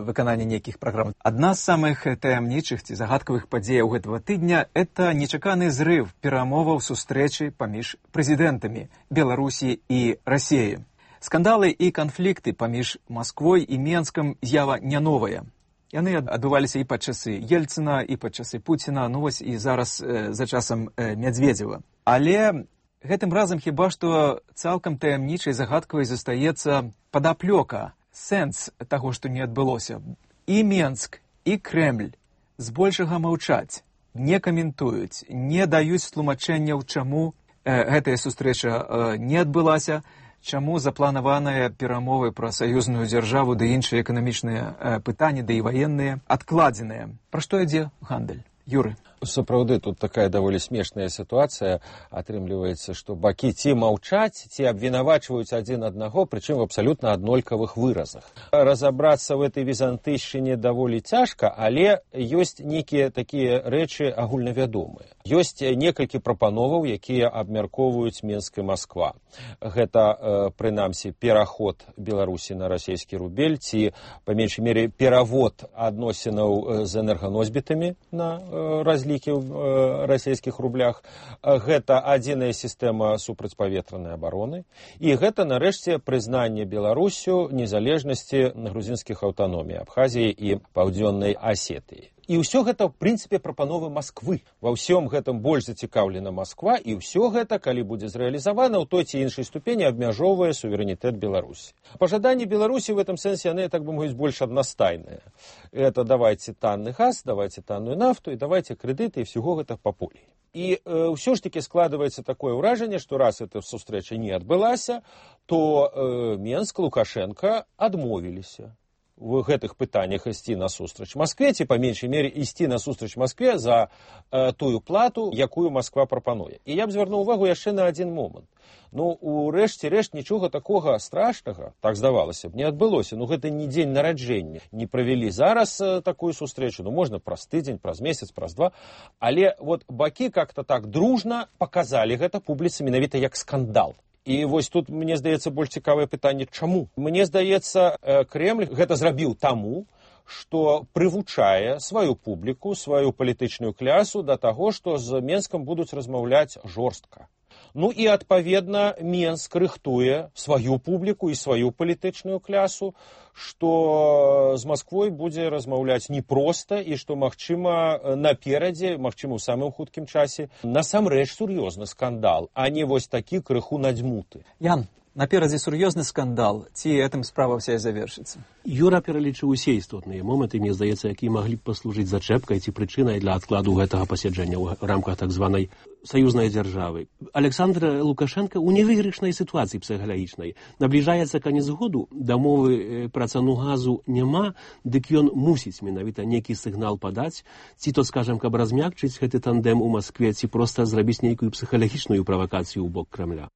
выкананне нейкіх праграм. Адна з самых таямнічых ці загадкавых падзеяў гэтага тыдня — это нечаканы зрыв перамоваў сустрэчы паміж прэзідэнтамі Беларусі і Расіі. Скандалы і канфлікты паміж Масквой і Менскам з'ява не новая. Яны адбываліся і пад часы Ельцына, і пад часы Пуціна, ну вось і зараз за часам Мядзведзева. Але гэтым разам хіба што цалкам таямнічай загадкавай застаецца падаплёка, сэнс таго, што не адбылося. І Менск, і Крэмль збольшага маўчаць, не каментуюць, не даюць тлумачэнняў, чаму гэтая сустрэча не адбылася, чаму запланаваныя перамовы пра саюзную дзяржаву ды іншыя эканамічныя пытанні, ды і ваенныя адкладзеныя. Пра што ідзе гандаль? Юры. Сапраўды, тут такая даволі смешная сітуацыя. Атрымліваецца, што бакі ці маўчаць, ці абвінавачваюць адзін аднаго, прычым в абсалютна аднолькавых выразах. Разабрацца в этой візантыйшчыне даволі цяжка, але ёсць нейкія такія рэчы агульнавядомыя. Ёсць некалькі прапановаў, якія абмяркоўваюць Менск і Масква. Гэта, прынамсі, пераход Беларусі на расійскі рубель, ці, па меншай мере, перавод адносінаў з энерганосьбітамі на разлікі ў расійскіх рублях. Гэта адзіная сістэма супрацьпаветранай абароны. І гэта, нарэшце, прызнанне Беларусю незалежнасці грузінскіх аўтаномій Абхазіі і Паўдзённай Асетыі. І ўсё гэта, в прынцыпе, прапановы Масквы. Ва ўсём гэтым больш зацікаўлена Масква, і ўсё гэта, калі будзе зрэалізавана, ў той ці іншай ступені абмяжоўвае суверэнітэт Беларусі. Пажаданні Беларусі в этом сэнсе, яны, так бы мовіць, больш аднастайныя. Это давайте танны газ, давайте танную нафту, і давайте крэдыты, і всего гэта па полі. І ўсё ж такі складваецца такое ўражанне, што раз эта сустрэча не адбылася, то Менск, Лукашенко адмовіліся в гэтых пытаннях ісці насустрач Маскве, ці, па меншай мере, ісці насустрач Маскве за тую плату, якую Масква прапануе. І я б звярнуў увагу яшчэ на адзін момант. Ну, у рэшце-рэшт, нічога такога страшнага, так здавалася б, не адбылося. Ну, гэта не дзень нараджэння. Не правялі зараз такую сустрэчу, ну, можна праз тыдзень, праз месяц, праз 2. Але вот бакі как-то так дружна паказалі гэта публіцы менавіта як скандал. І вось тут, мне здаецца, больш цікавае пытанне, чаму? Мне здаецца, Крэмль гэта зрабіў таму, што прывучае сваю публіку, сваю палітычную клясу да таго, што з Менскам будуць размаўляць жорстка. Ну і, адпаведна, Менск рыхтуе сваю публіку і сваю палітычную клясу, што з Масквой будзе размаўляць непроста і што, магчыма, наперадзе, магчыма, у самым хуткім часе, насамрэч сур'ёзны скандал, а не вось такі крыху надзьмуты. Ян, Наперадзе сур'ёзны скандал, ці гэтым справа вся і завершыцца? Юра пералічыў усе істотныя моманты, мне здаецца, якія маглі б паслужыць зачэпкай ці прычынай для адкладу гэтага пасяджэння ў рамках так званай саюзнай дзяржавы. Александр Лукашенко ў невыйгрышнай сітуацыі псіхалагічнай. Набліжаецца канец году, дамовы пра цану газу няма, дык ён мусіць менавіта нейкі сігнал падаць, ці то, скажам, каб размякчыць гэты тандем у Маскве, ці проста зрабіць нейкую псіхалагічную правакацыю ў бок Крамля.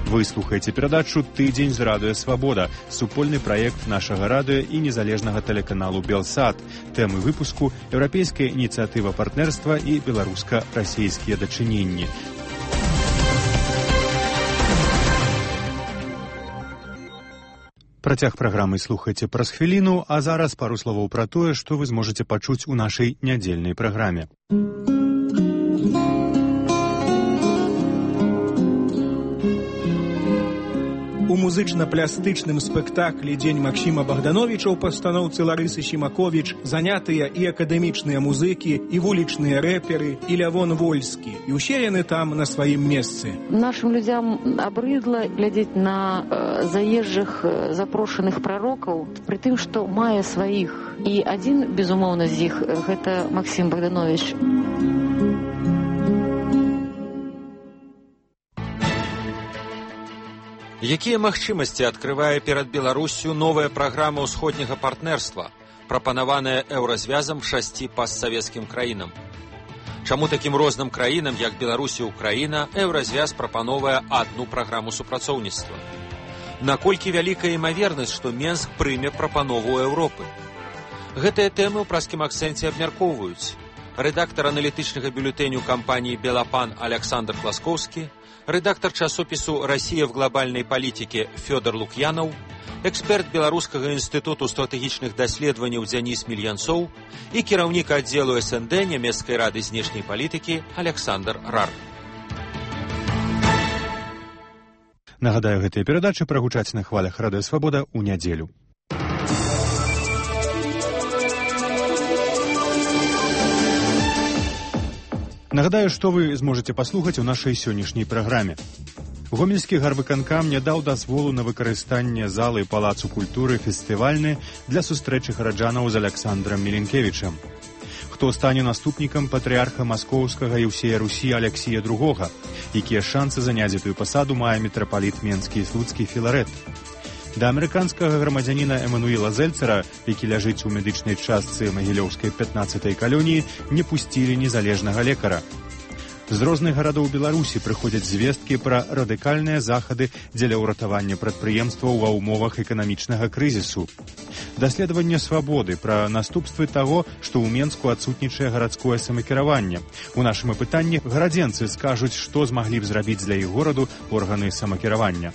Вы слухаеце перадачу «Тыдзень з радыё Свабода», супольны праект нашага радыё і незалежнага тэлеканалу «Белсат». Тэмы выпуску – еўрапейская ініцыятыва партнерства і беларуска-расійскія дачыненні. Працяг праграмы слухайце праз хвіліну, а зараз пару словаў пра тое, што вы зможаце пачуць у нашай нядзельнай праграме. У музычна-плястычным спектаклі «Дзень Максіма Богдановича» ў пастаноўцы Ларысы Сімаковіч занятыя і акадэмічныя музыкі, і вулічныя рэперы, і Лявон Вольскі. І ўсе яны там на сваім месцы. Нашим людям абрыдла глядзець на заезжых запрошаных прарокаў, пры тым, што мае сваіх. І адзін, безумоўна, з іх – гэта Максім Богданович. Якія магчымасці адкрывае перад Беларуссю новая праграма ўсходняга партнерства, прапанаваная еўразвязам 6 постсавецкім краінам? Чаму такім розным краінам, як Беларусь і Украіна, еўразвяз прапановвае адну праграму супрацоўніцтва? Наколькі вялікая імавернасць, што Менск прыме прапанову Еўропы? Гэтыя тэмы ў праскім акцэнце абмяркоўваюць рэдактар аналітычнага бюлетэню кампаніі «Белапан» Александр Класкоўскі, редактор часопісу «Россия в глобальной политике» Фёдор Лукьянов, эксперт Беларускага інстытуту стратэгічных даследаванняў Дзяніс Мільянцоў і кіраўнік аддзелу СНД Нямецкай рады знешняй палітыкі Александр Рар. Нагадаю, гэтыя перадачы прагучаць на хвалях Радыё Свабода ў нядзелю. Нагадаю, што вы зможаце паслухаць у нашай сённяшняй праграме. Гомельскі гарвыканкам не даў дазволу на выкарыстанне залы Палацу культуры фестывальны для сустрэчы гараджанаў з Александрам Міленкевічам. Хто стане наступнікам патрыарха Маскоўскага і ўсея Русі Алексія II, якія шансы заняць гэтую пасаду мае мітрапаліт Менскі і Слуцкі Філарэт. Да амерыканскага грамадзяніна Эмануіла Зельцера, які ляжыць у медычнай частцы Магілёўскай 15-й калоніі, не пусцілі незалежнага лекара. З розных гарадоў Беларусі прыходзяць звесткі пра радыкальныя захады дзеля ўратавання прадпрыемстваў ва ўмовах эканамічнага крызісу. Даследаванне «Свабоды» пра наступствы таго, што ў Менску адсутнічае гарадское самакіраванне. У нашым апытанні гарадзенцы скажуць, што змаглі б зрабіць для іх гораду органы самакіравання.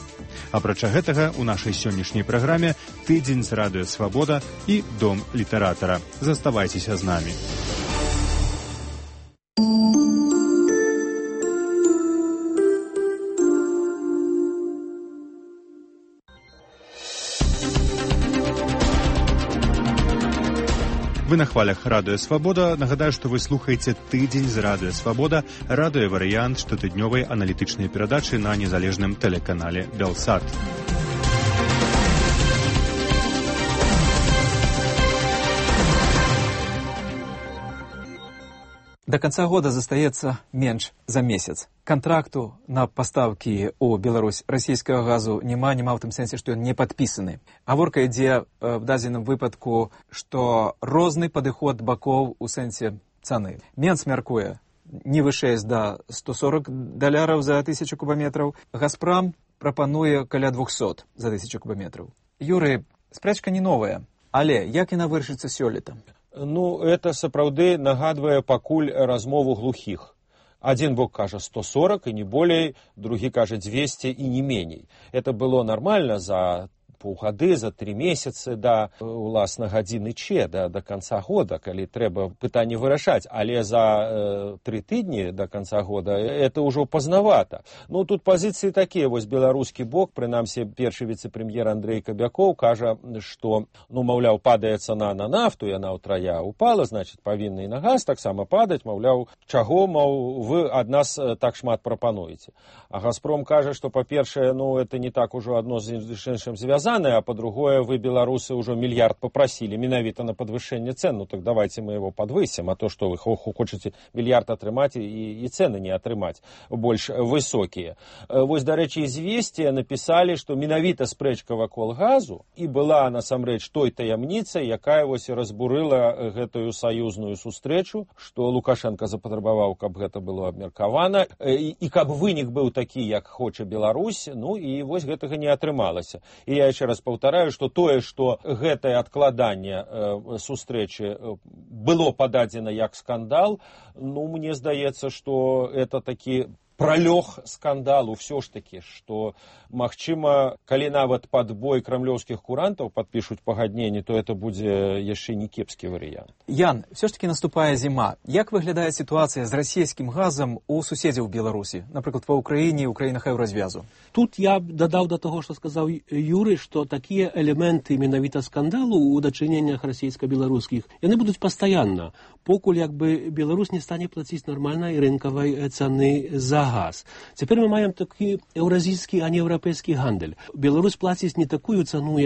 Апрача гэтага, у нашай сённяшняй праграме «Тыдзень з радыё Свабода» і «Дом літаратара». Заставайцеся з намі. Вы на хвалях Радыё Свабода. Нагадаю, што вы слухаеце «Тыдзень з Радыё Свабода», радыёварыянт штотыднёвай аналітычнай перадачы на незалежным тэлеканале «Белсат». До конца года застаецца менш за месяц. Контракту на пастаўкі ў Беларусь расійскага газу няма ў тым сэнсе, што ён не падпісаны. Гаворка ідзе в дадзеным выпадку, што розны падыход бакоў у сэнсе цаны. Менск мяркуе не вышэй за $140 за 1000 кубаметраў. Газпрам прапануе каля 200 за 1000 кубаметраў. Юры, спрэчка не новая, але як яна вырашыцца сёлета? Ну, это сапраўды нагадвае пакуль размову глухіх. Адзін бок кажа 140 і не болей, другі кажа 200 і не меней. Это было нармальна за паўгады, за 3 месяцы да уласна гадзіны Ч, да канца года, калі трэба пытанне вырашаць, але за 3 тыдні до конца года это ўжо пазнавата. Ну, тут пазіцыі такія, вось беларускі бок, прынамсі першы віцэ-прэм'ер Андрэй Кабякоў кажа, што, ну, маўляў, падае цана на нафту, яна ўтрая упала, значит, павінна і на газ таксама падаць, маўляў, чаго, вы ад нас так шмат прапануеце. А Газпром кажа, што, па-першае, ну, это не так ужо адно з іншым звязанае, а па-другое, вы, беларусы, ўжо мільярд папрасілі менавіта на падвышэнне цен, ну, так давайте мы его подвысим, а то, что вы хочаце мільярд атрымаць і цены не атрымаць больш высокія. Вось, дарэчы, «Известия» напісалі, што менавіта спрэчка вакол газу і была, насамрэч, той таямніцай, якая вось разбурыла гэтую саюзную сустрэчу, што Лукашенко запатрабаваў, каб гэта было абмеркавана, і каб вынік быў такі, як хоча Беларусь, ну і вось гэтага не атрымалася. І я яшчэ раз паўтараю, што тое, што гэтае адкладанне сустрэчы было пададзена як скандал, ну, мне здаецца, што это такі пролег скандалу все ж таки, что, магчыма, калі нават под бой крамлёўскіх курантаў подпишут пагадненне, то это будзе яшчэ не кепскі варыянт. Ян, все ж таки наступае зіма. Як выглядае сітуацыя з расійскім газам у суседзяў Беларусі, напрыклад, ва Ўкраіне і ў краінах еўразвязу? Тут я дадаў да таго, што сказаў Юрый, што такія элементы менавіта скандалу ў дачыненнях расійска-беларускіх, яны будуць пастаянна, покуль як бы Беларусь не стане плаціць нармальнай рынкавай цаны за газ. Цяпер мы маем такі еўразійскі, а не еўрапейскі гандаль. Беларусь плаціць не такую цану,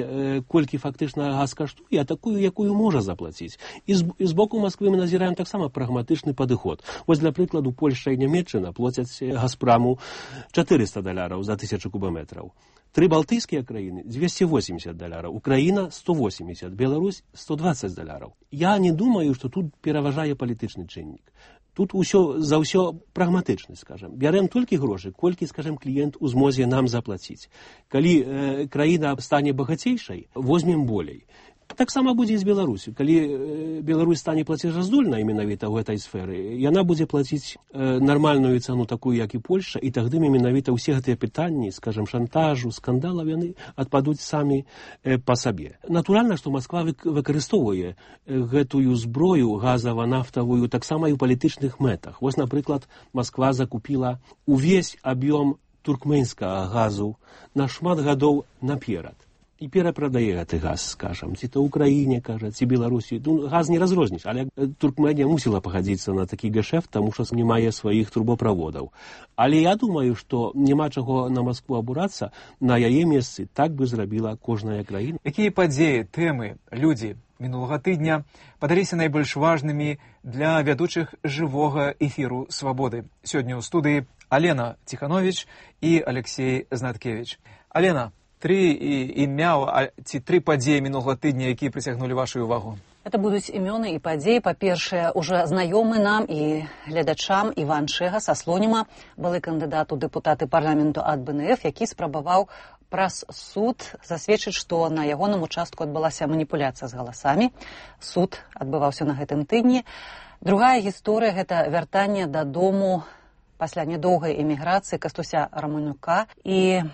колькі фактычна газ каштуе, а такую, якую можа заплаціць. І з боку Масквы мы назіраем таксама прагматычны падыход. Вось, для прыкладу, Польшча і Нямецчына плацяць Газпраму $400 за 1000 кубаметраў. 3 балтыйскія краіны $280, Украіна $180, Беларусь $120. Я не думаю, што тут пераважае палітычны чыннік. Тут за ўсё прагматычны, скажем. Бярем толькі грошы, колькі, скажем, кліент у змозе нам заплаціць. Калі краіна стане багацейшай, возьмем болей. Таксама будзе і з Беларусю. Калі Беларусь стане плацежаздольнай менавіта ў гэтай сферы, яна будзе плаціць нармальную цану такую, як і Польшча, і тагды менавіта ўсе гэтыя пытанні, скажем, шантажу, скандалаў, яны адпадуць самі па сабе. Натуральна, што Масква выкарыстоўвае гэтую зброю газава-нафтавую таксама і ў палітычных мэтах. Вось, напрыклад, Масква закупіла увесь аб'ём туркменскага газу на шмат гадоў наперад. І перапрадае гэты газ, скажам, ці то Украіне, кажа, ці Беларусі. Ну, газ не разрозніш, але Туркменія мусіла пагадзіцца на такі гешэфт, таму што не мае сваіх трубаправодаў. Але я думаю, што няма чаго на Маскву абурацца, на яе месцы так бы зрабіла кожная краіна. Якія падзеі, тэмы, людзі мінулага тыдня падаліся найбольш важнымі для вядучых жывога эфіру «Свабоды»? Сёння ў студыі Алена Ціхановіч і Алексей Знаткевіч. Алена, 3 імя ці 3 падзеі мінулага тыдня, якія прыцягнулі вашу увагу? Это будуць імёны і падзеі. Па-першае, уже знаёмы нам і гледачам Іван Шэга са Слоніма, былы кандыдат у дэпутаты парламенту ад БНФ, які спрабаваў праз суд засведчыць, што на ягоным участку адбылася маніпуляцыя з галасамі. Суд адбываўся на гэтым тыдні. Другая гісторыя – гэта вяртанне дадому пасля нядоўгай эміграцыі Кастуся Раманюка. І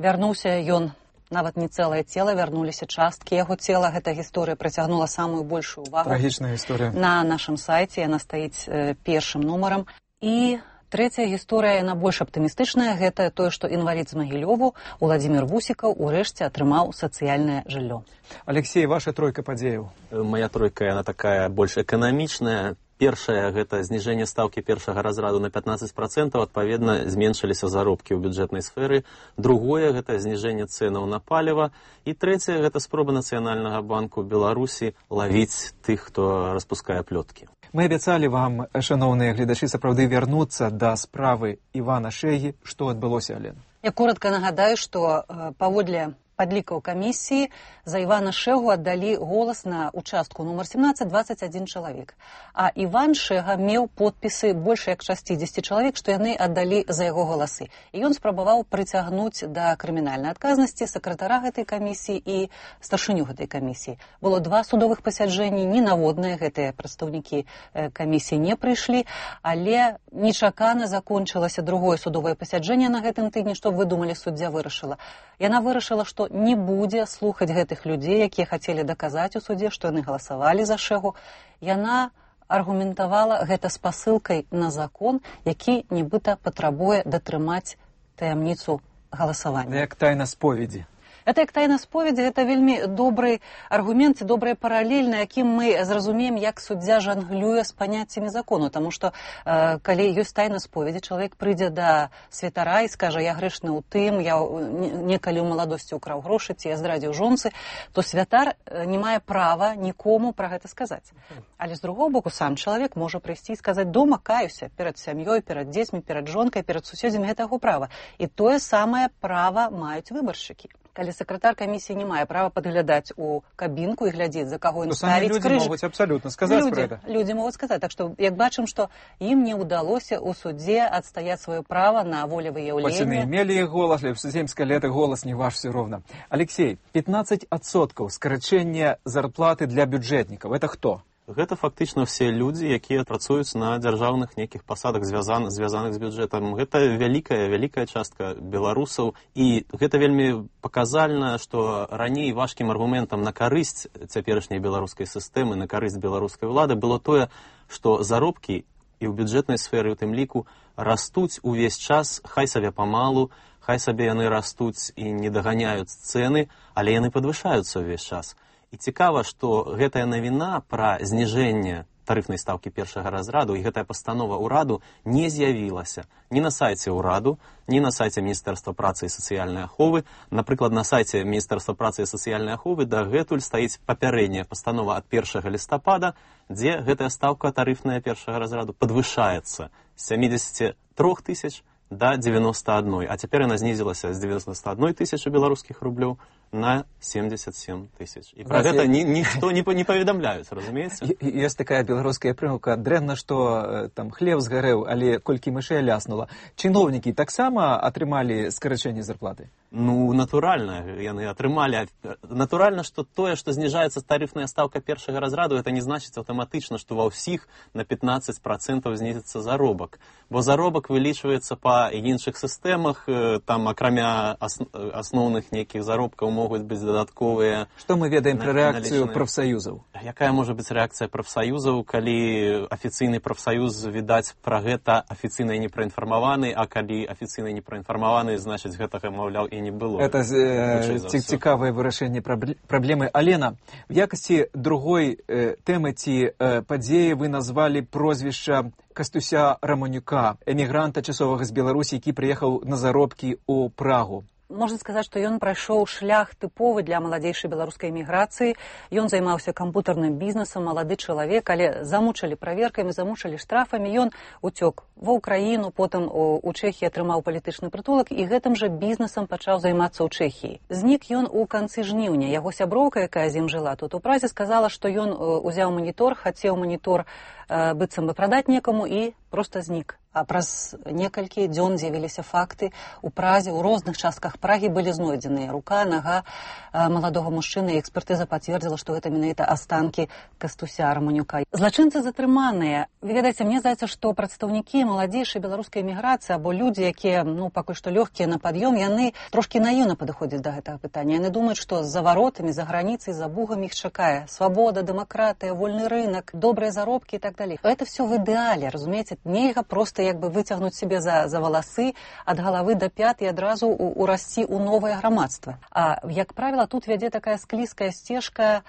вярнуўся ён, нават не цэлае цела, вярнуліся часткі яго цела. Гэта гісторыя прыцягнула самую большую увагу. Трагічная гісторыя. На нашым сайце яна стаіць першым нумарам. І трэцяя гісторыя, яна больш аптымістычная, гэта тое, што інвалід з Магілёву Уладзімір Вусікаў урэшце атрымаў сацыяльнае жыллё. Алексей, ваша тройка падзеяў? Моя тройка, яна такая больш эканамічная. Першае – гэта зніжэнне стаўкі першага разраду на 15%, адпаведна, зменшыліся заробкі ў бюджэтнай сферы. Другое – гэта зніжэнне цэнаў на паліва. І трэцяе – гэта спроба Нацыянальнага банку Беларусі лавіць тых, хто распускае плёткі. Мы абяцалі вам, шаноўныя гледачы, сапраўды вярнуцца да справы Івана Шэгі. Што адбылося, Алена? Я коротка нагадаю, што паводле падлікаў камісіі за Івана Шэгу аддалі голас на участку нумар 17 21 чалавек. А Іван Шэга меў подпісы больш як 60 чалавек, што яны аддалі за яго галасы. І ён спрабаваў прыцягнуць да крымінальнай адказнасці сакратара гэтай камісіі і старшыню гэтай камісіі. Было 2 судовых пасяджэнні, ненаводныя гэтыя прадстаўнікі камісіі не прыйшлі, але нечакана закончылася другое судовае пасяджэнне на гэтым тыдні. Што вы думалі, суддзя вырашыла? Яна вырашыла, што не будзе слухаць гэтых людзей, якія хацелі даказаць у судзе, што яны галасавалі за Шэгу. Яна аргументавала гэта спасылкай на закон, які нібыта патрабуе датрымаць таямніцу галасавання. Як тайна споведзі. Это як тайна споведзі, гэта вельмі добры аргумент і добрая паралель, на якім мы зразумеем, як суддзя жанглюе з паняццямі закону. Таму што, калі ёсць тайна споведзі, чалавек прыйдзе да святара і скажа, я грэшны ў тым, я некалі ў маладосці ўкраў грошы, ці я здрадзіў жонцы, то святар не мае права нікому пра гэта сказаць. Але з другого боку, сам чалавек можа прыйсці і сказаць, дома каюся перад сям'ёй, перад дзецьмі, перад жонкай, перад суседзямі, гэта яго права. І тое самае права маюць выбаршчыкі. Калі сакратар камісіі не мае права падглядаць у кабінку і глядзець, за каго ён ставіць крыж. Людзі могуць абсалютна сказаць пра гэта. Людзі могуць сказаць. Так што, як бачым, што ім не ўдалося ў судзе адстаяць сваё права на волевыяўленне. Хоць яны мелі іх голас, але земскае лета голас не ваш все роўна. Алексей, 15% скарачэння зарплаты для бюджэтнікаў. Это хто? Гэта фактычна ўсе людзі, якія працуюць на дзяржаўных нейкіх пасадах, звязаных з бюджэтам. Гэта вялікая частка беларусаў. І гэта вельмі паказальна, што раней важкім аргументам на карысць цяперашняй беларускай сістэмы, на карысць беларускай ўлады было тое, што заробкі і ў бюджэтнай сферы, у тым ліку, растуць увесь час, хай сабе памалу, хай сабе яны растуць і не даганяюць цэны, але яны падвышаюцца ўвесь час. І цікава, што гэтая навіна пра зніжэнне тарыфнай стаўкі першага разраду і гэтая пастанова ўраду не з'явілася ні на сайце ўраду, ні на сайце Міністэрства працы і сацыяльнай аховы. Напрыклад, на сайце Міністэрства працы і сацыяльнай аховы дагэтуль стаіць папярэдняя пастанова ад 1 лістапада, дзе гэтая стаўка тарыфная першага разраду падвышаецца з 73 тысяч до 91, а цяпер яна знізілася з 91 тысячы беларускіх рублёў на 77 тысяч. І пра гэта ніхто не паведамляюць, разумееце? Ёсць такая беларуская прымаўка, дрэнна, што там хлеб згарэў, але колькі мышэй ляснула. Чыноўнікі таксама атрымалі скарачэнне зарплаты? Ну, натуральна, яны атрымалі. Натуральна, што тое, што зніжаецца тарыфная стаўка першага разраду, это не значыць аўтаматычна, што ва ўсіх на 15% знізіцца заробак. Бо заробак вылічваецца па іншых сістэмах, там акрамя асноўных нейкіх заробкаў могуць быць дадатковыя. Што мы ведаем пра рэакцыю прафсаюзаў? Якая можа быць рэакцыя прафсаюзаў, калі афіцыйны прафсаюз, відаць, пра гэта афіцыйна не праінфармаваны, а калі афіцыйна не праінфармаваны, значыць, гэтага, маўляў, і не было. Это цікавае вырашэнне праблемы. Алена, в якасці другой тэмы ці падзеі вы назвалі прозвішча Кастуся Раманюка, эмігранта часовага з Беларусі, які прыехаў на заробкі ў Прагу. Можна сказаць, што ён прайшоў шлях тыповы для маладзейшай беларускай эміграцыі. Ён займаўся кампутарным бізнесам, малады чалавек, але замучылі праверкамі, замучылі штрафамі. Ён уцёк ва ўкраіну, потым у Чэхіі атрымаў палітычны прытулак і гэтым жа бізнесам пачаў займацца ў Чэхіі. Знік ён у канцы жніўня. Яго сяброўка, якая з ім жыла тут у Празе, сказала, што ён узяў манітор, хацеў манітор быццам бы прадаць некаму і проста знік. А праз некалькі дзён з'явіліся факты. У Празе, у розных частках Прагі былі знойдзеныя рука, нага маладога мужчыны, і экспертыза пацвердзіла, што гэта менавіта астанкі Кастуся Раманюка. Злачынцы затрыманыя. Вы ведаеце, мне здаецца, што прадстаўнікі маладзейшай беларускай эміграцыі або людзі, якія, пакуль што лёгкія на пад'ём, яны трошкі наіўна падыходзяць да гэтага пытання. Яны думаюць, што за варотамі, за граніцай, за бугамі іх чакае свабода, дэмакратыя, вольны рынак, добрыя заробкі і так далей. Это все в ідэале, разумееце? Нельга проста як бы выцягнуць себе за валасы ад галавы да пят і адразу урасці ў новае грамадства. А, як правіла, тут вядзе такая склізкая сцежка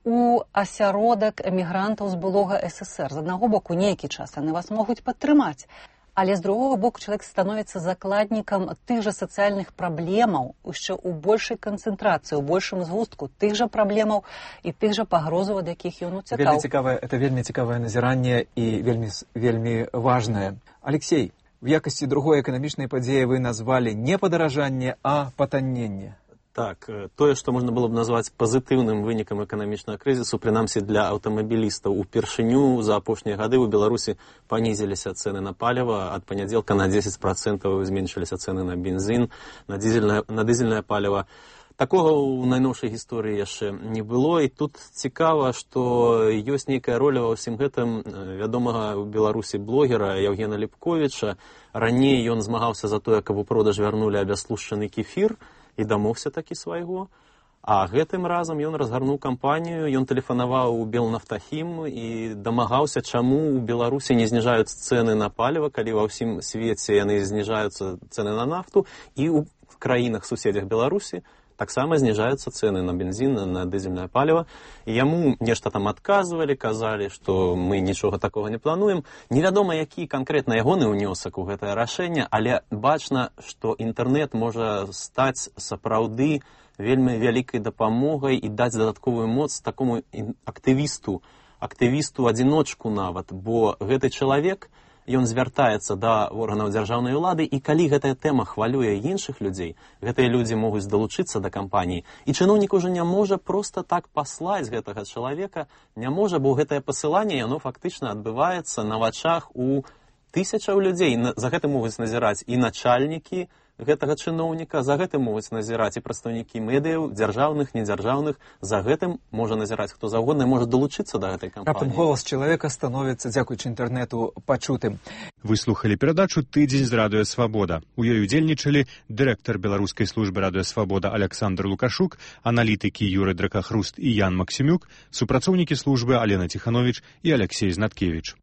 у асяродак эмігрантаў з былога СССР. З аднаго боку, нейкі час яны вас могуць падтрымаць, але з другого боку чалавек становіцца закладнікам тых жа сацыяльных праблемаў, яшчэ ў большай канцэнтрацыі, у большым згустку тых жа праблемаў і тых жа пагрозаў, ад якіх ён уцякаў. Это вельмі цікавае назіранне і вельмі важнае. Алексей, в якасці другой эканамічнай падзеі вы назвалі не падаражанне, а патанненне. Так, тое, што можна было б назваць пазітыўным вынікам эканамічнага крызісу, прынамсі для аўтамабілістаў, упершыню за апошнія гады ў Беларусі панізіліся цэны на паліва, ад панядзелка на 10% зменшыліся цэны на бензін, на дызельнае паліва. Такога ў найноўшай гісторыі яшчэ не было, і тут цікава, што ёсць нейкая роля ва ўсім гэтым вядомага ў Беларусі блогера Яўгена Ліпковіча. Раней ён змагаўся за тое, каб у продаж вярнулі абяслушчаны кефір, і дамогся такі свайго. А гэтым разам ён разгарнуў кампанію, ён тэлефанаваў у Белнафтахім і дамагаўся, чаму ў Беларусі не зніжаюцца цэны на паліва, калі ва ўсім свеце яны зніжаюцца цэны на нафту, і ў краінах-суседзях Беларусі таксама зніжаюцца цэны на бензін, на дызельнае паліва. І яму нешта там адказвалі, казалі, што мы нічога такога не плануем. Невядома, які канкрэтна ягоны ўнёсак у гэтае рашэнне, але бачна, што інтэрнэт можа стаць сапраўды вельмі вялікай дапамогай і даць дадатковую моц такому актывісту-адзіночку нават, бо гэты чалавек, ён звяртаецца да органаў дзяржаўнай улады, і калі гэтая тэма хвалюе іншых людзей, гэтыя людзі могуць далучыцца да кампаніі, і чыноўнік ужо не можа проста так паслаць гэтага чалавека, не можа, бо гэтае пасыланне, яно фактычна адбываецца на вачах у тысячаў людзей. За гэтым могуць назіраць і начальнікі гэтага чыноўніка, за гэтым могуць назіраць і прадстаўнікі медыяў, дзяржаўных, недзяржаўных, за гэтым можа назіраць хто заўгодна і можа далучыцца да гэтай кампаніі. Раптам голас чалавека становіцца, дзякуючы інтэрнэту, пачутым. Вы слухалі перадачу «Тыдзень з Радыё Свабода». У ёй удзельнічалі дырэктар беларускай службы Радыё Свабода Александр Лукашук, аналітыкі Юрый Дракахруст і Ян Максімюк, супрацоўнікі службы Алена Ціхановіч і Алексей Знаткевіч.